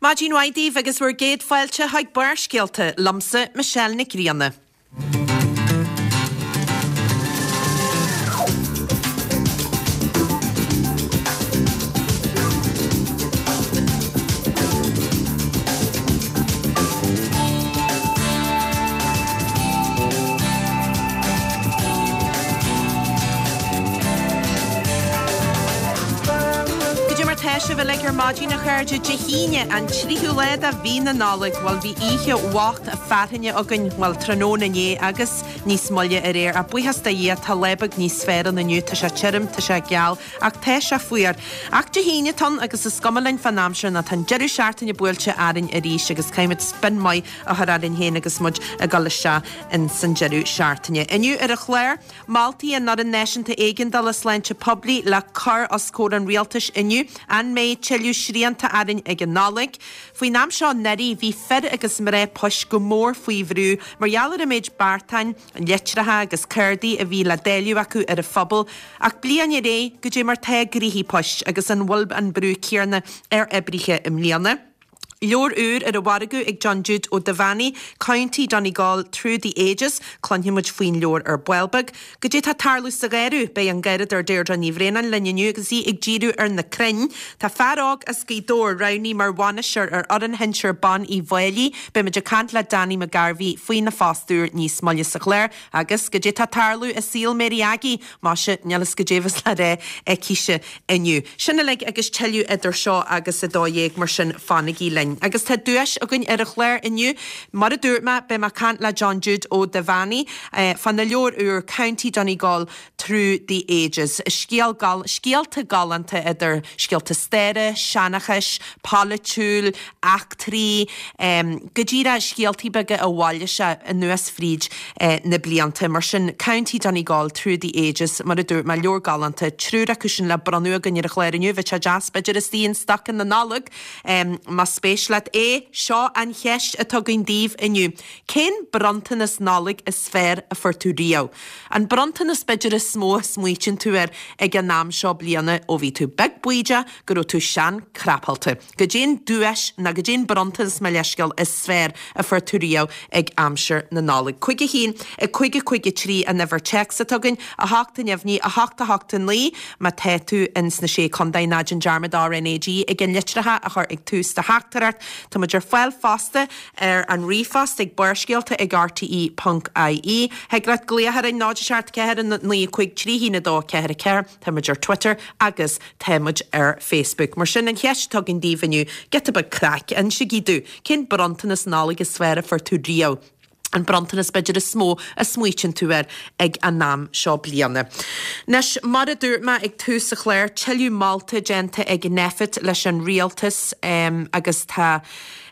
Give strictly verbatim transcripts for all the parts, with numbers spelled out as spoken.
Maidin mhaith daoibh agus bhur gcéad fáilte chuig Barrscéalta liomsa Michelle Nic Grianna. Goidé mar tá sibh uilig ar maidin a chairde Dé hAoine an tríú lá de mhí na Nollag bhuel bhí oíche bhocht fearthainne againn bhuel tráthnóna inné agus níos moille aréir ach buíochas do Dhia tá lá beag níos fearr ann inniu tá sé tirim tá sé geal ach tá sé fuar ach Dé hAoine atá ann agus is cuma linn fán aimsir nó tá an deireadh seachtaine buailte orainn arís agus caithfimid spin maith a chur orainn féin agus muid ag dul isteach in san deireadh seachtaine. Inniu ar an chlár, Moltaí an Fhoireann Náisiúnta Éigeandála Sláinte Poiblí le cur os comhair an rialtais inniu. An mbeidh tuilleadh srianta orainn ag an Nollaig? Faoin am seo anuraidh bhí fir agus mná poist go mór faoi bhrú mar gheall ar an méid beartáin, litreacha agus cárdaí a bhí le dáileadh acu ar an phobal. Ach bliain ar aghaidh, goidé mar tá gnoithí poist agus an bhfuil an brú céanna ar oibrithe i mbliana? Leabhar úr ar an mhargadh ag John Jude Ó Duibheannaigh, County Donegal Through the Ages, cluinfidh muid faoin leabhar ar ball beag. Goidé tá ag tarlú sa gharradh? Beidh an Garradóir Deirdre Ní Bhraonáin linn inniu agus í ag díriú ar na crainn. Tá fear óg as Gaoth Dobhair roghnaithe mar bhainisteoir ar fhoireann shinsir ban Uíbh Fhailí. Beidh muid ag caint le Danny McGarvey faoina phost úr níos moille sa chlár. Agus goidé tá ag tarlú i saol Mary Aggie? Maise, níl fhios goidé bheas le rá aicise inniu. Sin uilig agus tuilleadh idir seo agus a dó dhéag, mar sin fanaigí linn. Agus tá duais againn ar an chlár inniu. Mar a dúirt mé, beidh mé ag caint le John Jude Ó Duibheannaigh fána leabhar úr County Donegal Through the Ages. Scéal scéalta galánta idir scéalta staire, seanchais, polaitiúil, eachtraí, go díreach scéaltaí beaga a bhailigh sé anuas fríd na blianta. Mar sin, County Donegal Through the Ages, mar a dúirt mé, leabhar galánta, triúr acu sin le bronnadh againn ar an chlár inniu. Bheadh sé deas b'fhéidir istigh in stoca na Nollag. Más spéis leat é, seo an cheist atá againn daoibh inniu. Cén bronntanas Nollag is fearr a fuair tú riamh? An bronntanas b'fhéidir is mó a smaoitíonn tú air ag an am seo bliana ó bhí tú beag baoideach go raibh tú sean crapálta. Goidé an duais nó goidé an bronntanas mo leithscéal is fearr a fuair tú riamh ag aimsir na Nollag. Cúig a haon, a cúig a cúig a trí an uimhir téacs atá againn, a hocht a neamhní, a hocht a hocht a naoi má tá tú ins na Sé Contae ná déan dearmad RnaG ag an litreacha a chur ag tús do theachtaireacht. Tá muid ar fáil fosta ar an ríomhphost ag barrscéalta ag rte ponc ie. Thig leat glaoch orainn náid a seacht ceathair a naoi cúig trí haon a dó ceathair a ceathair. Tá muid ar Twitter agus tá muid ar Facebook. Mar sin an cheist atá againn daoibh inniu, giota beag craic, insígí domh, cén bronntanas Nollag is fearr a fuair tú riamh? An bronntanas b'fhéidir is mó a smaoitíonn tú air ag an am seo bliana. Anois, mar a dúirt mé ag tús an chláir, tuilleadh molta déanta ag Nphet leis an rialtas agus tá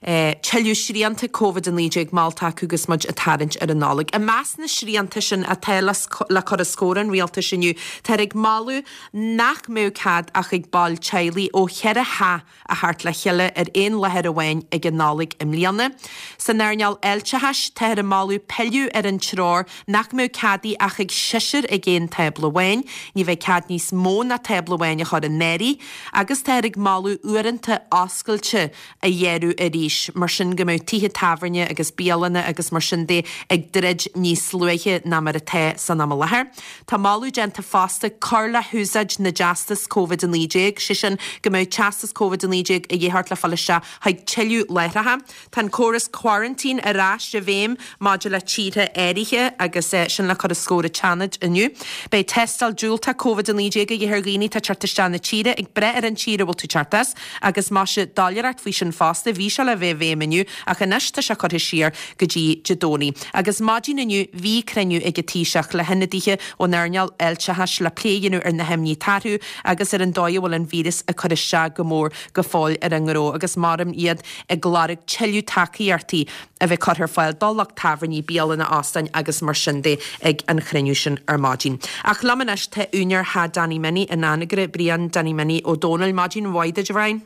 tuilleadh srianta Covid a naoi déag molta acu agus muid ag tarraingt ar an Nollaig. I measc na srianta sin atá le cur os comhair an rialtais inniu, táthar ag moladh nach mbeadh cead ach ag baill teaghlaigh ó cheithre theach a theacht le chéile ar aon láthair amháin ag an Nollaig i mbliana. San earnáil fháilteachais, táthar ag moladh pilleadh ar an treoir nach mbeadh cead ach ag seisear ag aon tábla amháin. Ní bheidh cead níos mó ná tábla amháin a chur in áirithe agus táthar ag moladh uaireanta oscailte a ghéarú arís, mar sin go mbeadh tithe tábhairne agus bialanna agus mar sin de ag druid níos luaithe ná mar atá san am i láthair. Tá moladh déanta fosta cur le húsáid na dteastas Covid a naoi déag, sé sin go mbeadh teastas Covid a naoi déag a dhíth ort le fáil isteach chuig tuilleadh láithreacha. Tá an córas quarantine ar ais i bhfeidhm maidir le tíortha áirithe agus sin le cur os comhair an tSeanaid inniu. Beidh tástáil diúltach Covid a naoi déag a dhíth ar dhaoine atá ag teacht isteach na tíre ag brath ar an tír a bhfuil tú ag teacht as agus maise doiléireacht faoi sin fosta. Bhí sé le bheith i bhfeidhm inniu ach anois tá sé curtha siar go dtí Dé Domhnaigh. Agus maidin inniu bhí cruinniú ag an Taoiseach le hionadaithe ón earnáil fháilteachais le plé a dhéanamh ar na himní atá orthu agus ar an dóigh a bhfuil an víreas ag cur isteach go mór go fóill ar an ngnó agus maram iad ag lorg tuilleadh tacaíochtaí a bheith curtha ar fáil do lucht tábhairní, bialanna, óstáin agus mar sin de ag an chruinniú sin ar maidin. Ach liom anois tá úinéir Theach Danny Minnie in Anagaire, Brian Danny Minnie Ó Dónaill. Maidin mhaith duit, a Bhriain.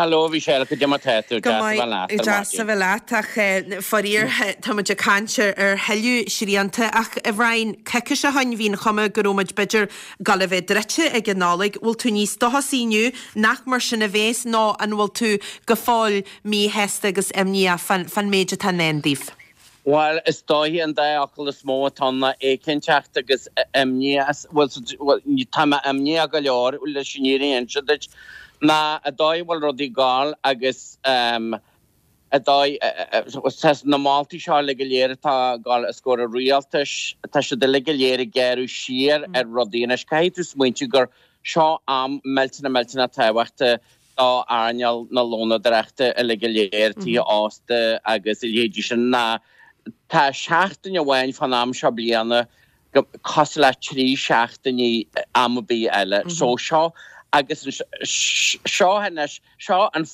Hello, a Mhichelle, goidé mar tá tú. Go maith, deas a bheith leat ach faraor tá muid ag caint ar thuilleadh srianta ach a Bhriain, coicís ó shin bhí an chuma go raibh muid b'fhéidir ag dul a bheith druidte ag an Nollaig. Bhfuil tú níos dóchasaí inniu nach mar sin a bhéas nó an bhfuil tú go fóill míshásta agus imníoch fán méid atá i ndán daoibh? Bhuel, is dóiche an dá fhocal is mó atá ann ná éiginnteacht agus imní. Bhuel, tá mé imníoch go leor leis an fhírinne a inse duit, ná an dóigh a bhfuil rudaí ag gabháil agus an dóigh, tá na moltaí seo uilig go léir atá ag gabháil os comhair an rialtais, tá siad uilig go léir ag gearradh siar ar rudaí. Anois, caithfidh tú smaointiú gur seo am millteanach millteanach tábhachtach do earnáil na lónadóireachta uilig go léir, tithe ósta agus a leithéidí sin, ná tá seachtain amháin fán am seo bliana cosúil le trí seachtainí am ar bith eile. So seo agus seo anois, seo an,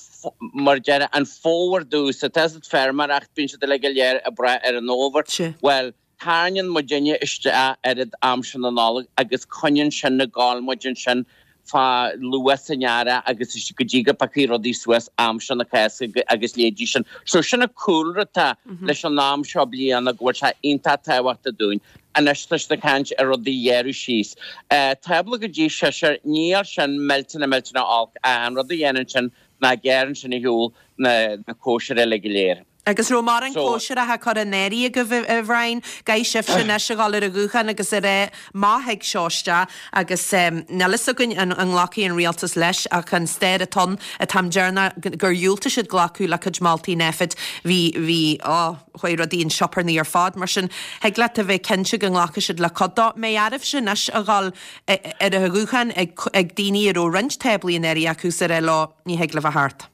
mar a déarfá, an fómhar domsa. Tá fhios agat feirmeoireacht, bíonn siad uilig go léir ag brath ar an fhómhar. Bhuel, tarraingíonn muidinne isteach oiread am sin na Nollag agus coinníonn sin ag gabháil muid ansin fá luath san earrach agus go dtí go bpiocfaidh rudaí suas am seo na Cásca agus leithéidí sin. So sin an cúlra atá leis an am seo bliana go bhfuil sé iontach tábhachtach dúinn. Anois tá siad ag caint ar rudaí a ghearradh síos. Tábla go dtí seisear, níl sin millteanach millteanach olc ach an rud a dhéanann sin ná gearrann sin ar shiúl na cóisirí uilig go léir. Agus raibh mórán cóisireacha curtha in áirithe agaibh, a Bhriain? Caithfidh sibhse anois a dhul ar an ghuthán agus a rá má thig seo isteach agus níl fhios againn an nglacfaidh an rialtas leis ach an stair atá ann, an t-am deireanach gur dhiúltaigh siad glacadh le cuid moltaí Nphet, bhí, bhí, á, chuaigh rudaí in sioparnaí ar fad. Mar sin, thig leat a bheith cinnte go nglacfaidh siad le cuid dó. Mbeidh oraibhse anois a dhul ar an ghuthán ag daoine a raibh roinnt táblaí in áirithe acu is a rá leo, ní thig libh a theacht.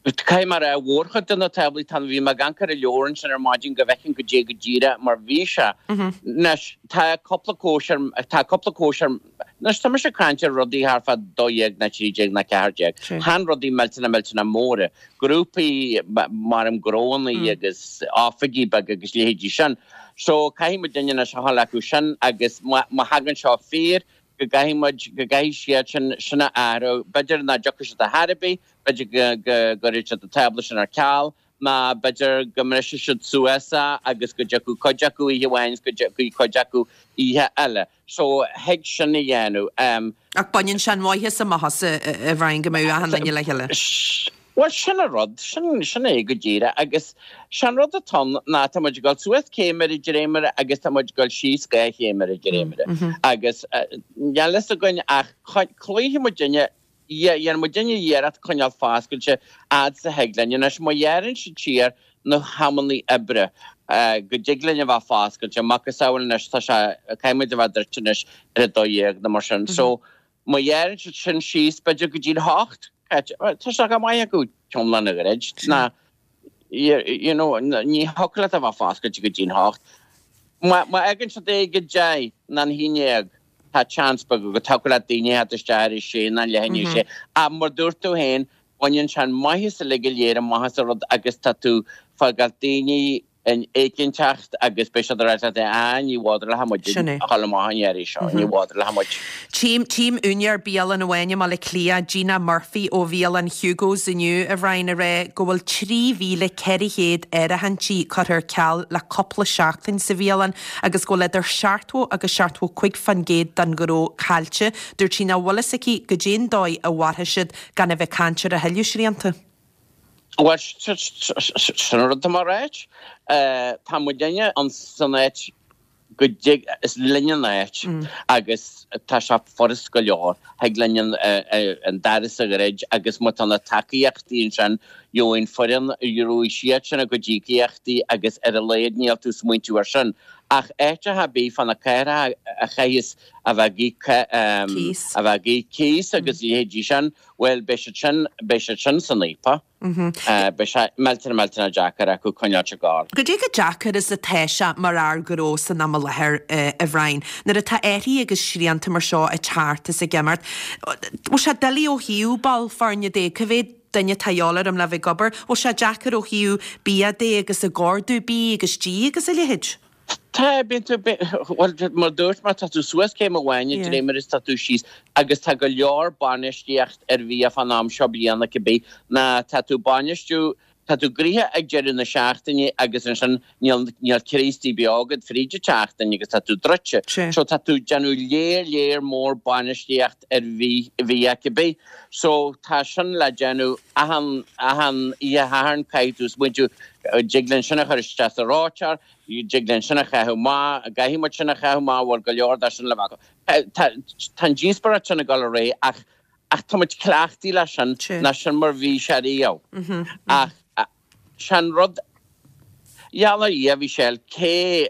Caithfidh mé a rá, mhórchuid de na táblaí, tá, bhí mé ag amharc ar an leabhar ansin ar maidin go bhfeicfinn goidé go díreach mar bhí sé. Anois, tá cúpla cóisir, tá cúpla cóisir, anois tá mise ag caint ar rudaí thart fá dó dhéag ná trí déag ná ceathair déag. Chan rudaí millteanach millteanach móra. Grúpaí, mar em gnóannaí agus oifigí beaga agus leithéidí sin. So, caithfidh muidinne anois a dhul acu sin agus má, má thagann seo fíor, go gcaithfidh muid, go gcaithfidh siad sin, sin a athrú. B'fhéidir nach dtiocfaidh siad ar chor ar bith, b'fhéidir go, go gcuirfidh siad an tábla sin ar ceal, nó b'fhéidir go mbrisfidh siad suas é agus go dtiocfaidh cuid acu oíche amháin is go dtiocfaidh cuid acu oíche eile. So, thig sin a dhéanamh. Ach baineann sé an mhaitheas amach as, a Bhriain, go mbeadh achan duine le chéile. Bhuel, sin an rud, sin, sin é go díreach. Agus sé an rud atá ann ná tá muid ag dul suas céim ar an dréimire agus tá muid ag dul síos dhá chéim ar an dréimire. Agus níl fhios againn ach cloífidh muidinne, dhéanfaidh muidinne iarracht coinneáil foscailte fhad is a thig linn. Anois, má ghearrann siad siar na hamannaí oibre go dtig linn a bheith foscailte, macasamhail anois tá sé, caithfidh muid a bheith druidte anois ar a dó dhéag nó mar sin. So, má ghearrann siad sin síos b'fhéidir go dtí a hocht, Tá sé go maith acu t-iomlán a dhruid. Ná, you know, ní thiocfadh leat a bheith foscailte go dtí'n hocht. Má fhágann siad é ag a deich ná an haon dhéag, tá chance beag go dtiocfadh leat daoine a theacht isteach ar a sé ná leath i ndiaidh a sé. Ach mar dúirt tú féin, baineann sé an maitheas uilig go léir amach as an rud agus tá tú fágáil daoine in éiginnteacht agus beidh siad ag rá leat ah ní bhféadfadh muid Sin é. a dhul amach an iarraidh seo, ní bhféadfadh muid. Tchím, tchím úinéir bialann amháin i mBaile Átha Cliath, Gina Murphy ó bhialann Hugo's inniu, a Bhriain, ag rá go bhfuil trí mhíle ceithre chéad áirithintí curtha ar ceal le cúpla seachtain sa bhialann agus go bhfuil idir seachtó agus seachtó cúig fán gcéad den ghnó caillte. Dúirt sí nach bhfuil fhios aici goidé an dóigh a mhairfidh siad gan a bheith ag caint ar a thuilleadh srianta. Bhuel, sin an rud atá mé a ráit. Tá muidinne san áit go dtig, is linn an áit agus tá sé furast go leor. Thig linn an doras a dhruid agus má tá na tacaíochtaí ansin, gheobhaidh an foireann, gheobhaidh siad sin a gcuid íocaíochtaí agus ar a laghad níl tú ag smaointiú ar sin. Ach áiteacha ar bith fá na cathracha a chaithfeas a bheith ag íoc, a bheith ag íoc cíos agus a leithéidí sin, bhuel, beidh siad sin, beidh siad sin san fhaopach. Beidh sé millteanach millteanach deacair acu coinneáilt ag gabháil. Goidé chomh deacair is atá sé mar fhear gnó san am i láthair, a Bhriain, nuair atá athruithe agus srianta mar seo ag teacht is ag imeacht. Bhfuil sé doiligh ó thaobh ball foirne de, cá mhéad duine atá a dhíobháil orm le bheith ag obair? Bhfuil sé deacair ó thaobh bia de agus ag ordú bídh agus dí agus a leithéid? Tá bíonn tú bhuel mar dúirt mé tá tú suas céim amháin yeah. dréimire is tá tú síos agus tá go leor bainistíocht ar bhia fan am seo bliana cibé ná tá tú bainistiú tá tú gnoitheach ag deireadh na seachtaine agus ansin níl níl Críostaí beo agat fríd an tseachtain agus tá tú druidte. So tá tú déanamh léir léir mór bainistíocht ar bhí bhia cibé. So tá sin le déanamh achan achan oíche Shathairn caithfidh tú smaointiú dtig linn sin a chur isteach sa reoiteoir, dtig linn sin a chaitheamh amach, an gcaithfidh muid sin a chaitheamh amach, bhfuil go leor de sin le bheith acu. Tá an díospóireacht sin ag dul ar aghaidh ach ach tá muid cleachtaithe leis sin, ná sin mar bhí sé riamh. Ach sin rud Gheall ar Dhia a Mhichelle, cé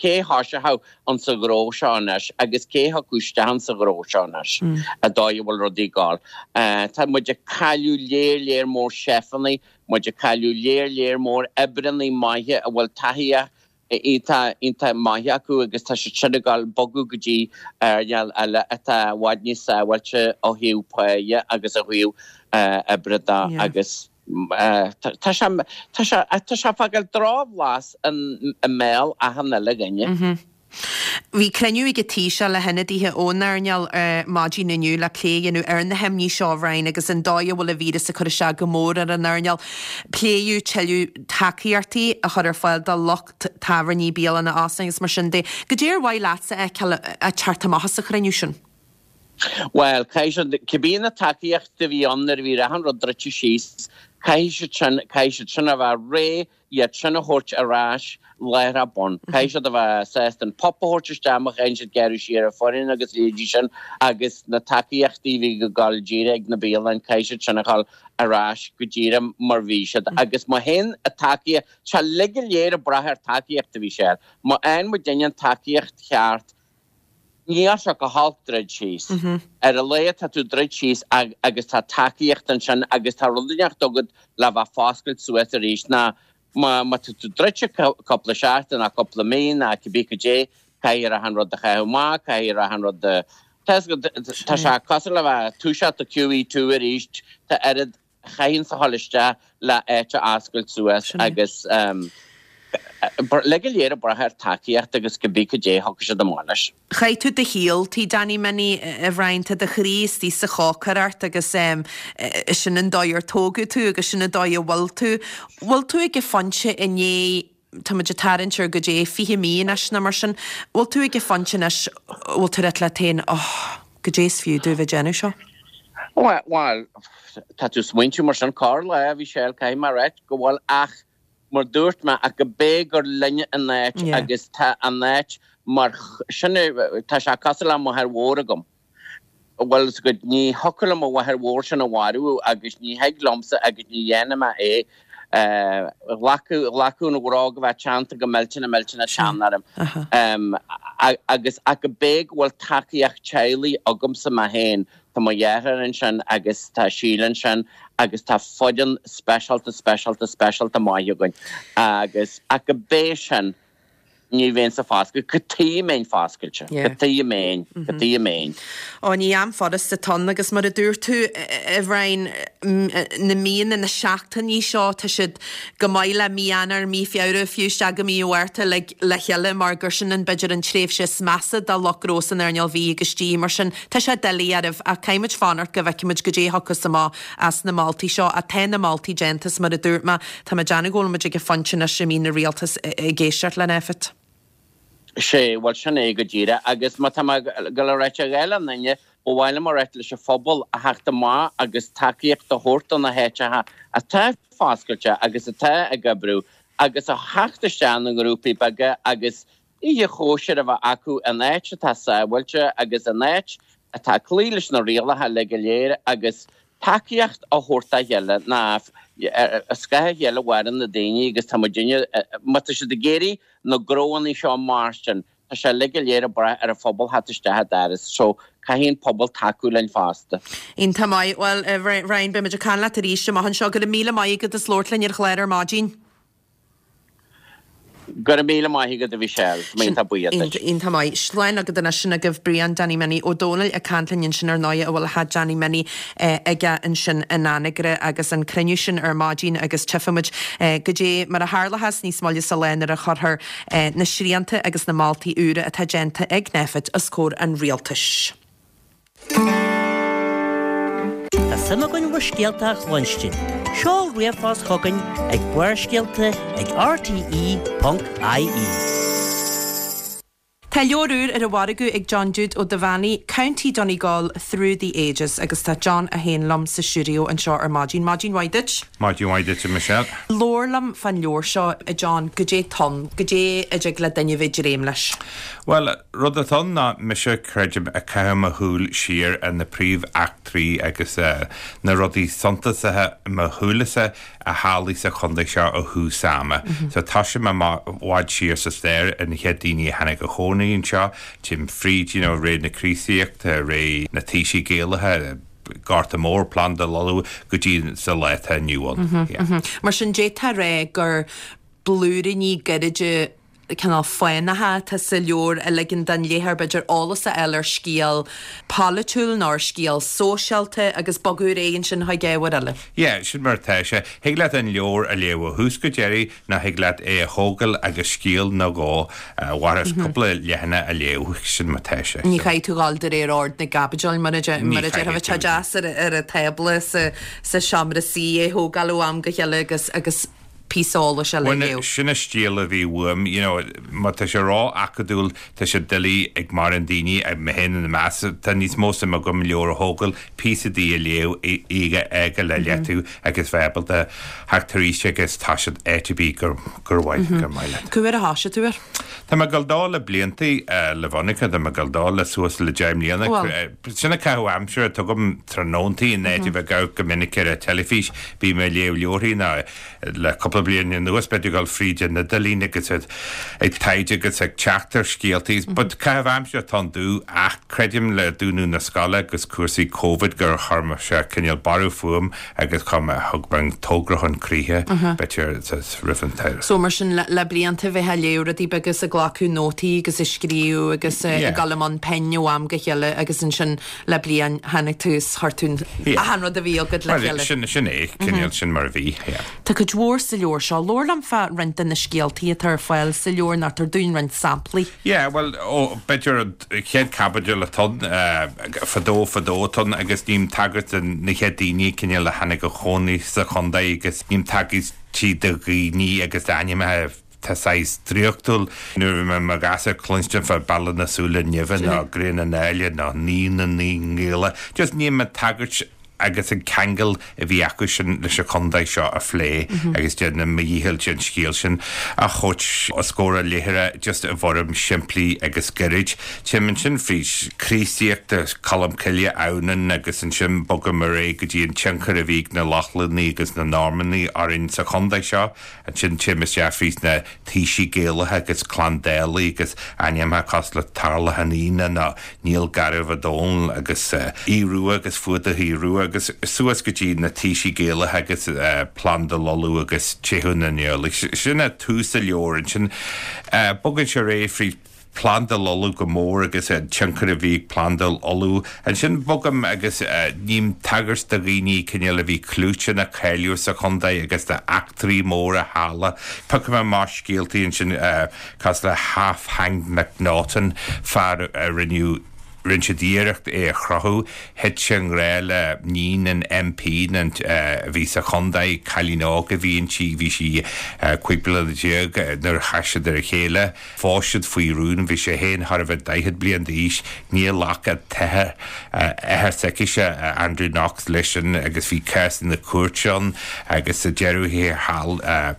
cé thoiseochadh an sa ghnó seo anois agus cé thiocfadh isteach an sa ghnó seo anois an dóigh a bhfuil rudaí ag gabháil. Tá muid ag cailleadh léir léir mór seifeanna, muid ag cailleadh léir léir mór oibreanna maithe a bhfuil taithí iontach iontach maith acu agus tá siad sin ag gabháil bogadh go dtí earnáil eile atá i bhfad níos sábháilte ó thaobh páighe agus ó thaobh oibre de agus tá sé tá sé tá sé ag fágáil drochbhlas i mbéal achan uile dhuine. Bhí cruinniú ag an Taoiseach le hionadaithe ón earnáil maidin inniu le plé a dhéanamh ar na himní seo, a Bhriain, agus an dóigh a bhfuil an víreas ag cur isteach go mór ar an earnáil. Pléadh tuilleadh tacaíochtaí a chur ar fáil do lucht tábhairní, bialanna, óstáin agus mar sin de. Goidé ar mhaith leatsa a fheiceáil ag teacht amach as an chruinniú sin? Bhuel, caithfidh siad, cibé na tacaíochtaí a bhí ann nuair a bhí achan rud druidte síos, caithfidh siad sin, caithfidh siad sin a bheith réidh iad sin a thabhairt ar ais láithreach bonn. Caithfidh siad a bheith sásta an PUP a thabhairt isteach má chaitheann siad gearradh siar ar foireann agus leithéidí sin agus na tacaíochtaí a bhí ag gabháil díreach ag na bialanna, caithfidh siad sin a dhul ar ais go díreach mar bhí siad. Agus má théann an tacaíocht, tá sé uilig go léir ag brath ar tacaíocht a Mhichelle. Má fhaigheann muidinne an tacaíocht cheart, Níl sé go holc druid síos. Ar a laghad tá tú druid síos agus tá tacaíocht ansin agus tá rud inteacht agat le bheith foscailt suas arís ná má tá tú druidte cúpla seachtain ná cúpla mí ná cibé cad é, caithfidh achan rud a chaitheamh amach, caithfidh achan rud a, tá sé cosúil le bheith toiseacht i Q E two arís, tá oiread a chaitheann a dhul isteach le áit a oscailt suas agus uilig go léir ag brath ar tacaíocht agus cibé cad é a thiocfaidh siad amach leis. Chaith tú do shaol tigh Danny Minnie, a Bhriain, tá do chroí istigh sa chócaireacht agus sin an dóigh ar tógadh tú agus sin an dóigh a bhfuil tú. Bhfuil tú ag an phointe i ndiaidh, tá muid ag tarraingt ar goidé fiche mí anois nó mar sin, bhfuil tú ag an phointe anois, bhfuil tú ag ráit leat féin, oh, goidé is fiú domh bheith ag déanamh seo? Bhuel, tá tú ag smaointiú mar sin corr-lá, a Mhichelle, caithfidh mé a ráit go bhfuil ach mar dúirt mé, ach go bé gur linne an áit agus tá an áit mar sin, tá sé cosúil le máthair mhór agam. Bhuel, is go, ní thiocfadh liom mo mháthair mhór sin a mharú agus ní thig liomsa agus ní dhéanfaidh mé é. Ghlacfadh, ghlacfadh an bhróg a bheith teannta go millteanach millteanach teann orm. Agus ach go bé go bhfuil tacaíocht teaghlaigh agamsa mé féin, Tá mo dheartháir ansin agus tá Síle ansin agus tá foireann speisialta, speisialta, speisialta maith againn agus ach go bé sin ní bheinnse foscailte, cad chuige a mbeinn foscailte, cad chuige a mbeinn, cad chuige a mbeinn. Ó ní am furasta atá ann agus mar a dúirt tú a Bhriain, na míonna, na seachtainí seo, tá siad go maith le mí Eanáir, mí Feabhra, fiú isteach go mí Mhárta le le chéile mar gur sin an b'fhéidir an tréimhse is measa do lucht gnó san earnáil bhídh agus dí. Mar sin, tá sé doiligh oraibh ach caithfidh muid fanacht go bhfeicfidh muid goidé a thiocfas amach as na moltaí seo. Ach tá na moltaí déanta is mar a dúirt mé, tá mé ag déanamh go bhfuil muid ag an phointe anois a mbíonn an rialtas ag éisteacht linn, Effet. Sé, bhuel sin é go díreach agus má tá mé ag dul a ráit a dhath le aon duine, ba mhaith liom a ráit leis an phobal a theacht amach agus tacaíocht a thabhairt do na háiteacha atá foscailte agus atá ag oibriú agus a theacht isteach ina ngrúpaí beaga agus oíche chóisir a bheith acu in áit atá sábháilte agus in áit atá ag cloí leis na rialacha uilig go léir agus tacaíocht a thabhairt dá chéile ná ar scáth a chéile a mhaireann na daoine agus tá muidinne, má tá siad ag iarraidh na gnóanna seo mairstin, tá sé uilig go léir ag brath ar an phobal theacht isteach an doras so caithfidh an pobal tacú linn fosta. Iontach maith. Bhuel, a Bhriain, beidh muid ag caint leat arís amach anseo. Go raibh míle maith agat as labhairt linn ar an chlár ar maidin. Go raibh míle maith agat a Mhichelle, tá mé iontach buíoch duit. Iontach maith. Slán agat anois sin agaibh Brian Danny Minnie Ó Dónaill ag caint linn ansin ar ndóigh a bhfuil a theach Danny Minnie aige ansin in Anagaire agus an cruinniú sin ar maidin agus tchífimid goidé mar a tharlóchas níos moille sa lá nuair a chuirfear na srianta agus na moltaí úra atá déanta ag Nphet os comhair an rialtais. Tá suim againn bhur scéalta a chluinstin. Seol ríomhphost chugainn ag Barrscéalta ag rte.ie. Tá leabhar úr ar an mhargadh ag John Jude Ó Duibheannaigh, County Donegal Through the Ages, agus tá John a haon liom sa stiúideo anseo ar maidin. Maidin mhaith duit? Maidin mhaith duit, Michelle. Labhair liom fán leabhar seo, a John, goidé atá ann, goidé a dtig le duine bheith dréim leis. Well, rud atá ann ná mise creidim ag caitheamh mo shúil siar ar na príomheachtraí agus uh, na rudaí suntasacha mo shúilese a tharlaigh sa chontae seo ó thús ama. Mm -hmm. So tá sé i bhfad siar sa stair an chéad daoine a tháinig a chónaí anseo, Tim fríd you know, ré na Críostaíochta, ré na taoisigh Gaelacha, Gorta Mór Plandáil Uladh go dtí sa lá atá inniu ann. Mm -hmm, yeah. mm -hmm. Mar sin d'fhéadfá rá gur blúiríní gairide cineál fánacha atá sa leabhar a ligeann don léitheoir b'fhéidir eolas a fháil ar scéal polaitiúil nó ar scéal sóisialta agus bogadh ar aghaidh ansin chuig ábhar eile. Yeah, sin mar atá sé. Thig leat an leabhar a léamh ó thús go deireadh nó thig leat é a thógáil agus scéal nó dhó mharas cúpla leathanach a léamh sin mar atá sé. Ní chaithfidh tú dul de réir ord na gcaibidil mar a mar a déarfá tá deas ar ar an tábla sa sa seomra suí é thógáil ó am go chéile agus agus píosa eolais a léamh. Sin an stíl a bhí uaim, you know, má tá sé ró-acadúil tá sé doiligh ag mórán daoine mé féin ina measc tá níos mó suim agam leabhar a thógáil píosa de a léamh í ag le leatú agus bheith ábalta theacht arís agus tá siad áit ar bith gur gur mhaith gur maith leat. Cá huair a thosaigh tú air? Tá mé ag gabháil dó le blianta le Veronica, tá mé ag gabháil dó le suas le deich mbliana. Sin an caitheamh aimsire tugaim tráthnóntaí in áit a bheith ag go minic ar an teilifís, bím ag léamh leabharthaí ná le cúpla bliain anuas b'fhéidir dul fríd an idirlíon agus ag taighde agus ag teacht ar scéaltaí. But caitheamh aimsire atá ann domh ach creidim le dúnadh na scoile agus cúrsaí Covid gur chuir sé cineál borradh fúm agus chum thug mé an togra chun críche b'fhéidir roimh an tsamhradh. So mar sin le, le blianta bheith ag léamh rudaí beaga agus ag glacadh nótaí agus ag scríobh agus ag dul i mbun pinn ó am go chéile agus ansin le bliain tháinig tú is chuir tú achan rud a bhí agat le chéile. Sin sin é cineál sin mar a bhí. Yeah. Tá cuid mhór sa leabhar seo. Labhair liom fá roinnt de na scéaltaí atá ar fáil sa leabhar nach tar dúinn roinnt samplaí. Yeah, well ó b'fhéidir an chéad caibidil atá ann uh, fadó fadó atá ann agus ním tagairt na chéad daoine cineál a tháinig a chónaí sa chontae agus ním tagairt tí do dhaoine agus d'ainmneacha tá saghas draíochtúil nuair a bhí mé ag cluinstin fá Bealach na Súile Nimhe ná Grian na nÁille ná Naoi na Naoi nGaela. Just ním a tagairt agus an ceangal a bhí acu sin leis an chontae seo a phlé agus déanaim mo dhícheall an scéal sin a thabhairt os comhair an léitheora just i bhfoirm simplí agus gairid. Téim ansin fríd Críostaíocht Colm Cille Adhamhnáin agus ansin bogaim ar aghaidh go dtí an tionchar a bhí ag na Lochlannaigh agus na Normannaigh orainn sa chontae seo, ansin téim isteach fríd na taoisigh Gaelacha agus Clann Dálaigh agus ainmneacha cosúil le Tarlach an Aoine ná Niall Garbh Ó Dónaill agus uh, Aodh Rua agus Fuadach Aodh Rua agus suas go dtí na taoisigh Gaelacha agus uh, Plandáil Uladh agus Teitheadh na nIarlaí. Sin é tús an leabhair ansin uh, bogann sé ar aghaidh fríd Plandáil Uladh go mór agus an tionchar a bhí ag Plandáil Uladh. Ansin bogaim agus uh, ním tagairt do dhaoine cineál a bhí clúiteach nó cáiliúil sa chontae agus d'eachtraí móra a tharla. Piocfaidh mé amach scéaltaí ansin uh, cosúil le Half Hanged McNaughton fear a rinneadh rinne siad iarracht é a chrochadh, thit sé i ngrá le níon an MP an uh, a bhí sa chontae cailín óg a bhí inti bhí sí uh, cúig bliana déag nuair a chas siad ar a chéile, Phós siad faoi rún bhí sé féin thar a bheith daichead bliain d'aois ní ghlac an t-athair athair s'aicise Andrew Knox leis sin agus bhí cás na cúirte ann agus sa deireadh thiar thall uh,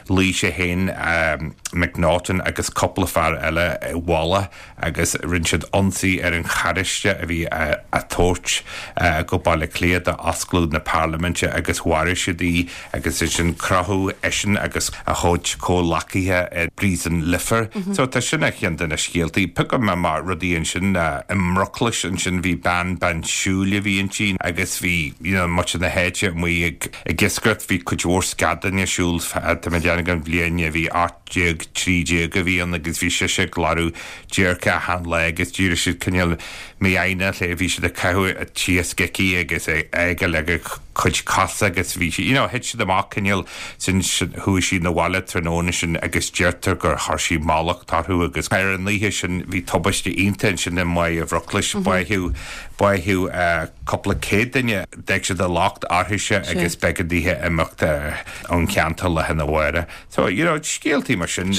luigh sé féin um, McNaughton agus cúpla fear eile i bhfolach agus rinne siad ionsaí ar an charráiste a bhí á tabhairt go Baile Átha Cliath d'oscailt na parlaiminte agus mharaigh siad í agus ansin crochadh eisean agus a chuid comhghleacaithe i bpríosún Leifear. Mm -hmm. So tá sin ar cheann de na scéaltaí. Piocfaidh mé amach rudaí ansin i mBruclais ansin bhí bean bean siúil a bhí inti agus bhí you know, muintir na háite amuigh ag ag iascaireacht bhí cuid mhór scadán ar siúl tá mé déanamh an bhliain a bhí ocht déag déag trí déag a bhí ann agus bhí sise ag lorg déirce achan lá agus d'éirigh siad cineál mífhoighneach léi, bhí siad ag caitheamh an t-iasc aici agus ag leag a cuid cosa agus bhí sí, you know, thit siad amach cineál sin chuaigh sí 'na bhaile tráthnóna sin agus deirtear gur chuir sí mallacht orthu agus ar an oíche sin bhí tubaiste iontach ansin i mBaile Bhruclais, báitheadh báitheadh cúpla céad duine, d'fhág siad a locht uirthise agus b'éigean dithe imeacht ón cheantar lá arna mhárach. So, you know, scéaltaí mar sin,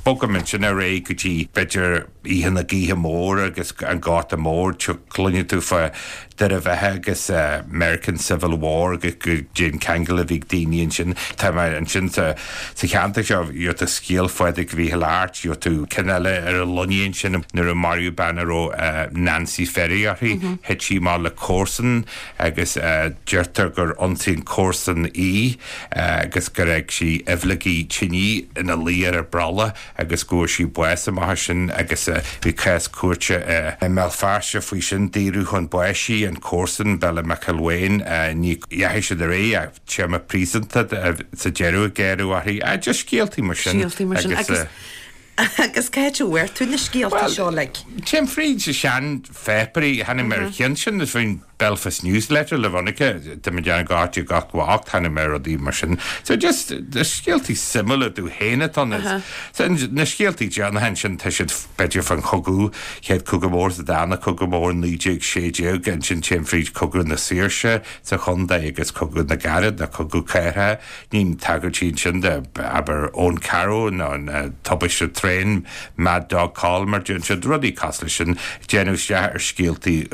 bogaim ansin ar aghaidh go dtí b'fhéidir Oíche na Gaoithe Móire agus an Gorta Mór, cluineann tú fá Doire Bheatha agus American Civil War agus goidé an ceangal a bhí ag daoine ansin. Tá mé ansin sa sa cheantar seo, gheobhaidh tú scéal Phádraig Mhíchíl Airt, gheobhaidh tú ceann eile ar an Luinnigh ansin nuair a maraíodh bean a raibh Nancy Ferry uirthi, thit sí amach le comharsan agus deirtear gur ionsaigh an comharsan í agus gur fhág sí aibhleogaí tine ina luí ar an brolla agus go bhfuair sí bás amach as sin agus bhí cás cúirte i mBéal Feirste faoi sin, daoradh chun báis í, an comharsan, Bella McElwain, ní dheachaigh siad ar aghaidh ach téarma príosúnta sa deireadh a gearradh uirthi. Just scéaltaí mar sin. Scéaltaí mar sin. Agus agus cá háit a bhfuair tú na scéalta seo like? Téim fríd sean-pháipéirí, tháinig mé ar cheann sin faoin Belfast Newsletter le Veronica, tá mé déanamh go háit gach ocht, tháinig mé ar rudaí mar sin. So just scéaltaí suimiúla domh féin atá ann. So na scéaltaí déanacha ansin tá siad b'fhéidir fan chogadh, chéad cogadh mór sa dara cogadh mór naoi déag sé déag, ansin téim fríd cogadh na saoirse sa chontae agus cogadh na gcarad nó cogadh cathartha. Ním tagairtí ansin de abair Eoin Carrow nó an tubaiste traein Mad Dog Coll mar déanann siad rudaí cosúil leis sin, déanamh isteach ar scéaltaí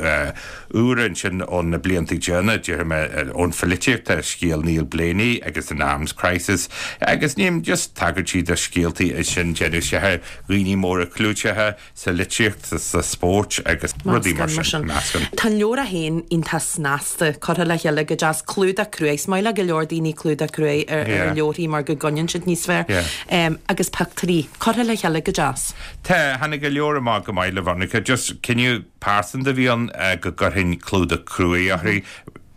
úra ansin ó na blianta déanacha, déarfaidh mé ón pholaitíocht, tá scéal Neil Blaney agus an Arms Crisis agus ním just tagairtí do scéaltaí ansin déanamh isteach ar dhaoine móra clúiteacha sa litríocht, sa spórt agus rudaí mar sin. Meascán. Tá an leabhar é féin iontach snasta, curtha le chéile go deas, clúdach cruaidh. Is maith le go leor daoine clúdach cruaidh ar ar leabharthaí mar go gcoinníonn siad níos fearr. Agus pictiúirí curtha le chéile go deas. Tá, tháinig an leabhar amach go maith le Veronica. Just cinneadh pearsanta a bhí ann go gcuirfinn clúdach cruaidh uirthi.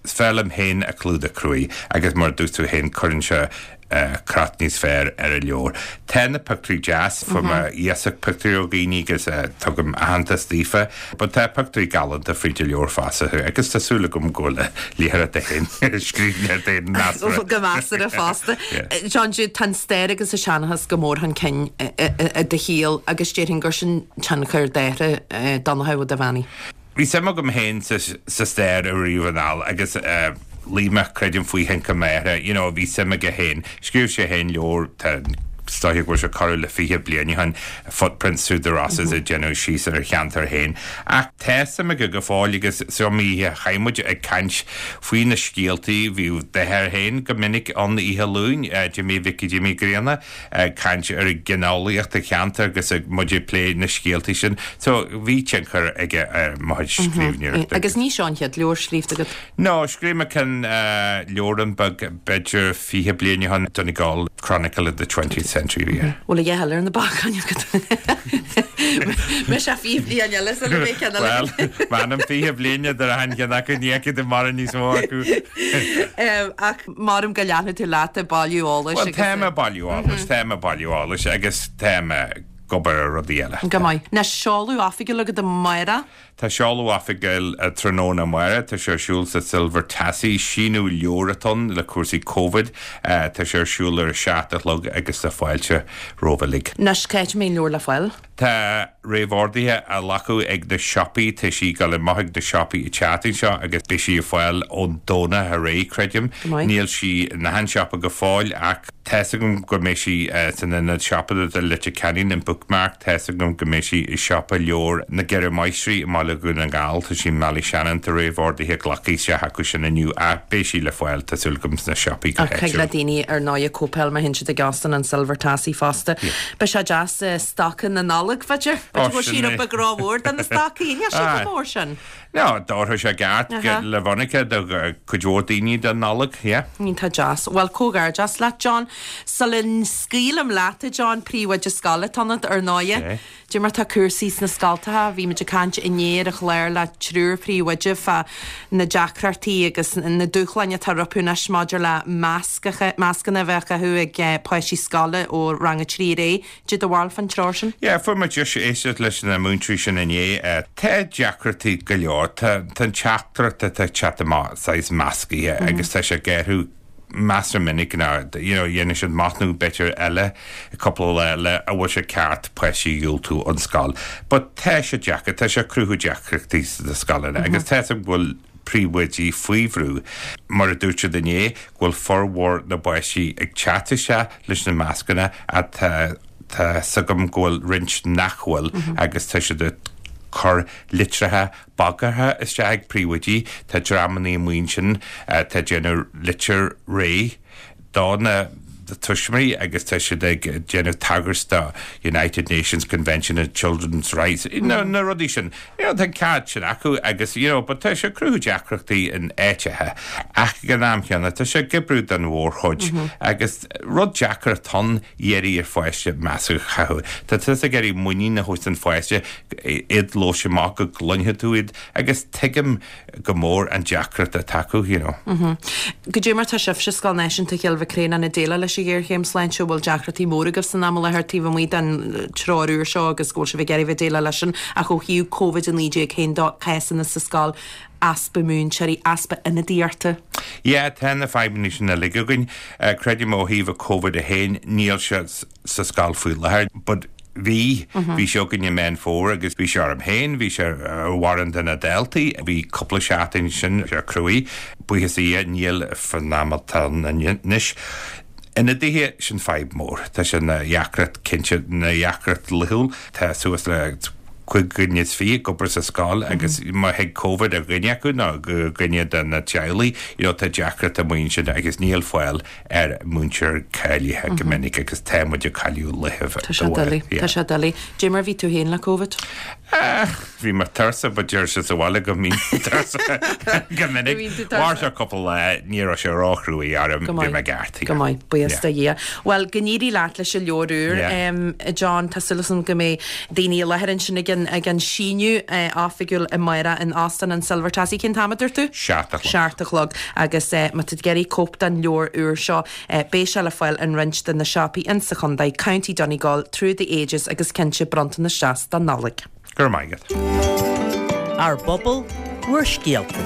Is fearr liom féin a clúdach cruaidh agus mar a dúirt tú féin cuireann sé crot níos fearr ar an leabhar. Tá na pictiúirí deas, fuair mé iasacht pictiúirí ó dhaoine agus tugaim aitheantas daofa, but tá pictiúirí galánta fríd an leabhar fosta agus tá súil agam go bhfuil léitheoireacht féin scríbhneoireacht féin measartha. Go measartha fosta. John Jude, tá an stair agus an seanchas go mór chun cinn i do shaol agus déarfainn gur sin tionchar d'athair Donncha Ó Duibheannaigh. Bhí suim agam féin sa stair ariamh anall agus luigh mé, creidim, faoi thionchar m'athar, you know, bhí suim aige féin. Scríobh sé féin leabhar, tá, is dóiche go bhfuil sé corradh le fiche bliain ó shin, Footprints Through the Rosses ag déanamh síos ar a cheantar féin. Ach tá suim aige go fóill agus is iomaí oíche a chaith muid ag caint faoi na scéaltaí, bhí d'athair féin go minic ann oíche Luain, Jimí Mhicí Jimí Grianna, ag caint ar ghinealaíocht an cheantair agus ag muid ag plé na scéaltaí sin. So bhí tionchar aige ar mo chuid scríbhneoireachta. Agus ní seo an chéad leabhar scríofa agat? No, scríobh mé ceann leabhrán beag b'fhéidir fiche bliain ó shin, Donegal Chronicle of the Twentieth Century a bhí air. Bhfuil a dhath eile ar na bacáin agat? Beidh sé fiche bliain eile sula mbeidh ceann eile agat. Bhuel, m'anam fiche bliain idir achan cheann acu, ní fheicfidh tú mórán níos mó acu. Ach maram go leanfaidh tú leat ag bailiú eolais Bhuel, tá mé ag bailiú eolais, tá mé ag bailiú eolais agus tá mé ag obair ar rudaí eile. Go maith. Anois seoladh oifigiúil agat amárach? Tá seoladh oifigiúil tráthnóna amárach, tá sé ar siúl sa Silver Tassie, síniú leabhar atá ann le cúrsaí Covid, tá sé ar siúl ar a seacht a chlog agus tá fáilte romhaibh uilig. Anois, cá háit a mbeidh an leabhar le fáil? Tá réamhorduithe á nglacadh ag na siopaí, tá sí ag dul amach ag na siopaí an tseachtain seo agus beidh sí ar fáil ón Domhnach ar aghaidh, creidim. Níl sí in achan siopa go fóill ach tá's agam go mbeidh sí san ionad siopadóireachta i Leitir Ceanainn, an Bookmark, tá's agam go mbeidh sí i siopa leabhar na gCeithre Máistrí i mBaile Dhún na nGall, tá sí i mBallyshannon, tá réamhorduithe glactha isteach acu sin inniu ach beidh sí le fáil, tá súil agam, sna siopaí go Ach thig le háitiúil. daoine ar ndóigh cóipeáil má théann siad ag Óstán an Silver Tassie fosta. Beidh sé deas stoca na Nollag Nollag, b'fhéidir. B'fhéidir go bhfuil sí rud beag rómhór do na stocaí, níl sé chomh mór sin. No, d'oirfeadh sé i gceart le Veronica do cuid mhór daoine don Nollaig, yeah. Iontach deas. Bhuel, comhghairdeas leat, John. Sula scaoilim leat, a John, príomhoide scoile atá ionat, ar ndóighe. Dé mar tá cúrsaí sna scoltacha, bhí muid ag caint inné ar an chlár le triúr príomhoide fá na deacrachtaí agus na dúshláin atá rompu anois maidir le mascacha, mascanna a bheith á gcaitheamh ag páistí scoile ó rang a trí ar aghaidh. Dé do bharúil fán treoir sin? Yeah, fuair muid deis éisteacht leis na múinteoirí sin inné. Tá deacrachtaí go leor. Tá an teachtaireacht atá ag teacht amach saghas meascaithe agus tá sé ag athrú measartha minic ná you know dhéanann siad machnamh b'fhéidir eile cúpla lá le an bhfuil sé ceart páistí a dhiúltú ón scoil. But tá sé deacair, tá sé ag cruthú deacrachtaí sna scoileanna agus tá a fhios agam go bhfuil príomhoidí faoi bhrú, mar a dúirt siad inné, go bhfuil formhór na bpáistí ag teacht isteach leis na mascanna ach tá tá a fhios agam go bhfuil roinnt nach bhfuil agus tá siad ag cur litreacha bagartha isteach ag príomhoidí, tá dreamanna amuigh ansin atá ag déanamh litir réidh do na tuismitheoirí agus tá siad ag déanamh tagairt do United Nations Convention on Children's Rights, na na rudaí sin. You know, tá an ceart sin acu agus you know, but tá sé ag cruthú deacrachtaí in áiteacha ach ag an am chéanna tá sé ag oibriú don mhórchuid agus rud deacair atá ann iarraidh ar pháiste masc a chaitheamh. Tá tusa ag iarraidh muinín a thabhairt don pháiste iad labhairt amach go gcluinfidh tú iad agus tuigim go mór an deacracht atá acu, you know. Goidé mar tá sibhse Scoil Náisiúnta Chill Mhic Réanáin ag déileáil leis an ghéarchéim sláinte, bhfuil deacrachtaí móra agaibh san am i láthair taobh amuigh den treoir úr seo agus go bhfuil sibh ag iarraidh bheith ag déileáil leis sin ach ó thaobh Covid a naoi déag féin de, cásanna sa scoil, easpa múinteoirí, easpa ionadaíochta? Yeah, tá na fadhbanna sin uilig againn. Creidim ó thaobh Covid a haon, níl sé sa scoil faoi láthair, but bhí, bhí sé againn i Meán Fómhair agus bhí sé orm féin, bhí sé ar mhórán de na daltaí, bhí cúpla seachtain sin sé cruaidh, buíochas le Dia níl fan am atá anois. Ionadaithe, sin fadhb mór. Tá sé ina dheacracht cinnte, ina dheacracht laethúil. Tá suas le cúig dhuine is fiche ag obair sa scoil agus má thig Covid ar dhuine acu nó dhuine de na teaghlaigh, you know, tá deacracht amuigh ansin agus níl fáil ar mhúinteoir cáilithe go minic agus tá muid ag cailleadh laetha. Tá sé doiligh, tá sé doiligh. Dé mar a bhí tú féin le Covid? Bhí mé tuirseach, but deir siad sa bhaile go mbím tuirseach go minic. Mhair sé cúpla lá, ní raibh sé róchruaidh orm, bhí mé ceart. Go maith, buíochas do Dhia. Bhuel, go n-éirí leat leis an leabhar úr, John, tá súil agam go mbeidh daoine i láthair ansin ag an ag an síniú oifigiúil amárach in Óstán an Silver Tassie. Cén t-am a dúirt tú? Seacht a chlog. Seacht a chlog. Agus má tá tú ag iarraidh cóip den leabhar úr seo, beidh sé le fáil in roinnt de na siopaí insa chontae, County Donegal, Through the Ages agus cinnte bronntanas deas don Nollaig. Go raibh maith agat. Ár bpobal, bhur scéalta.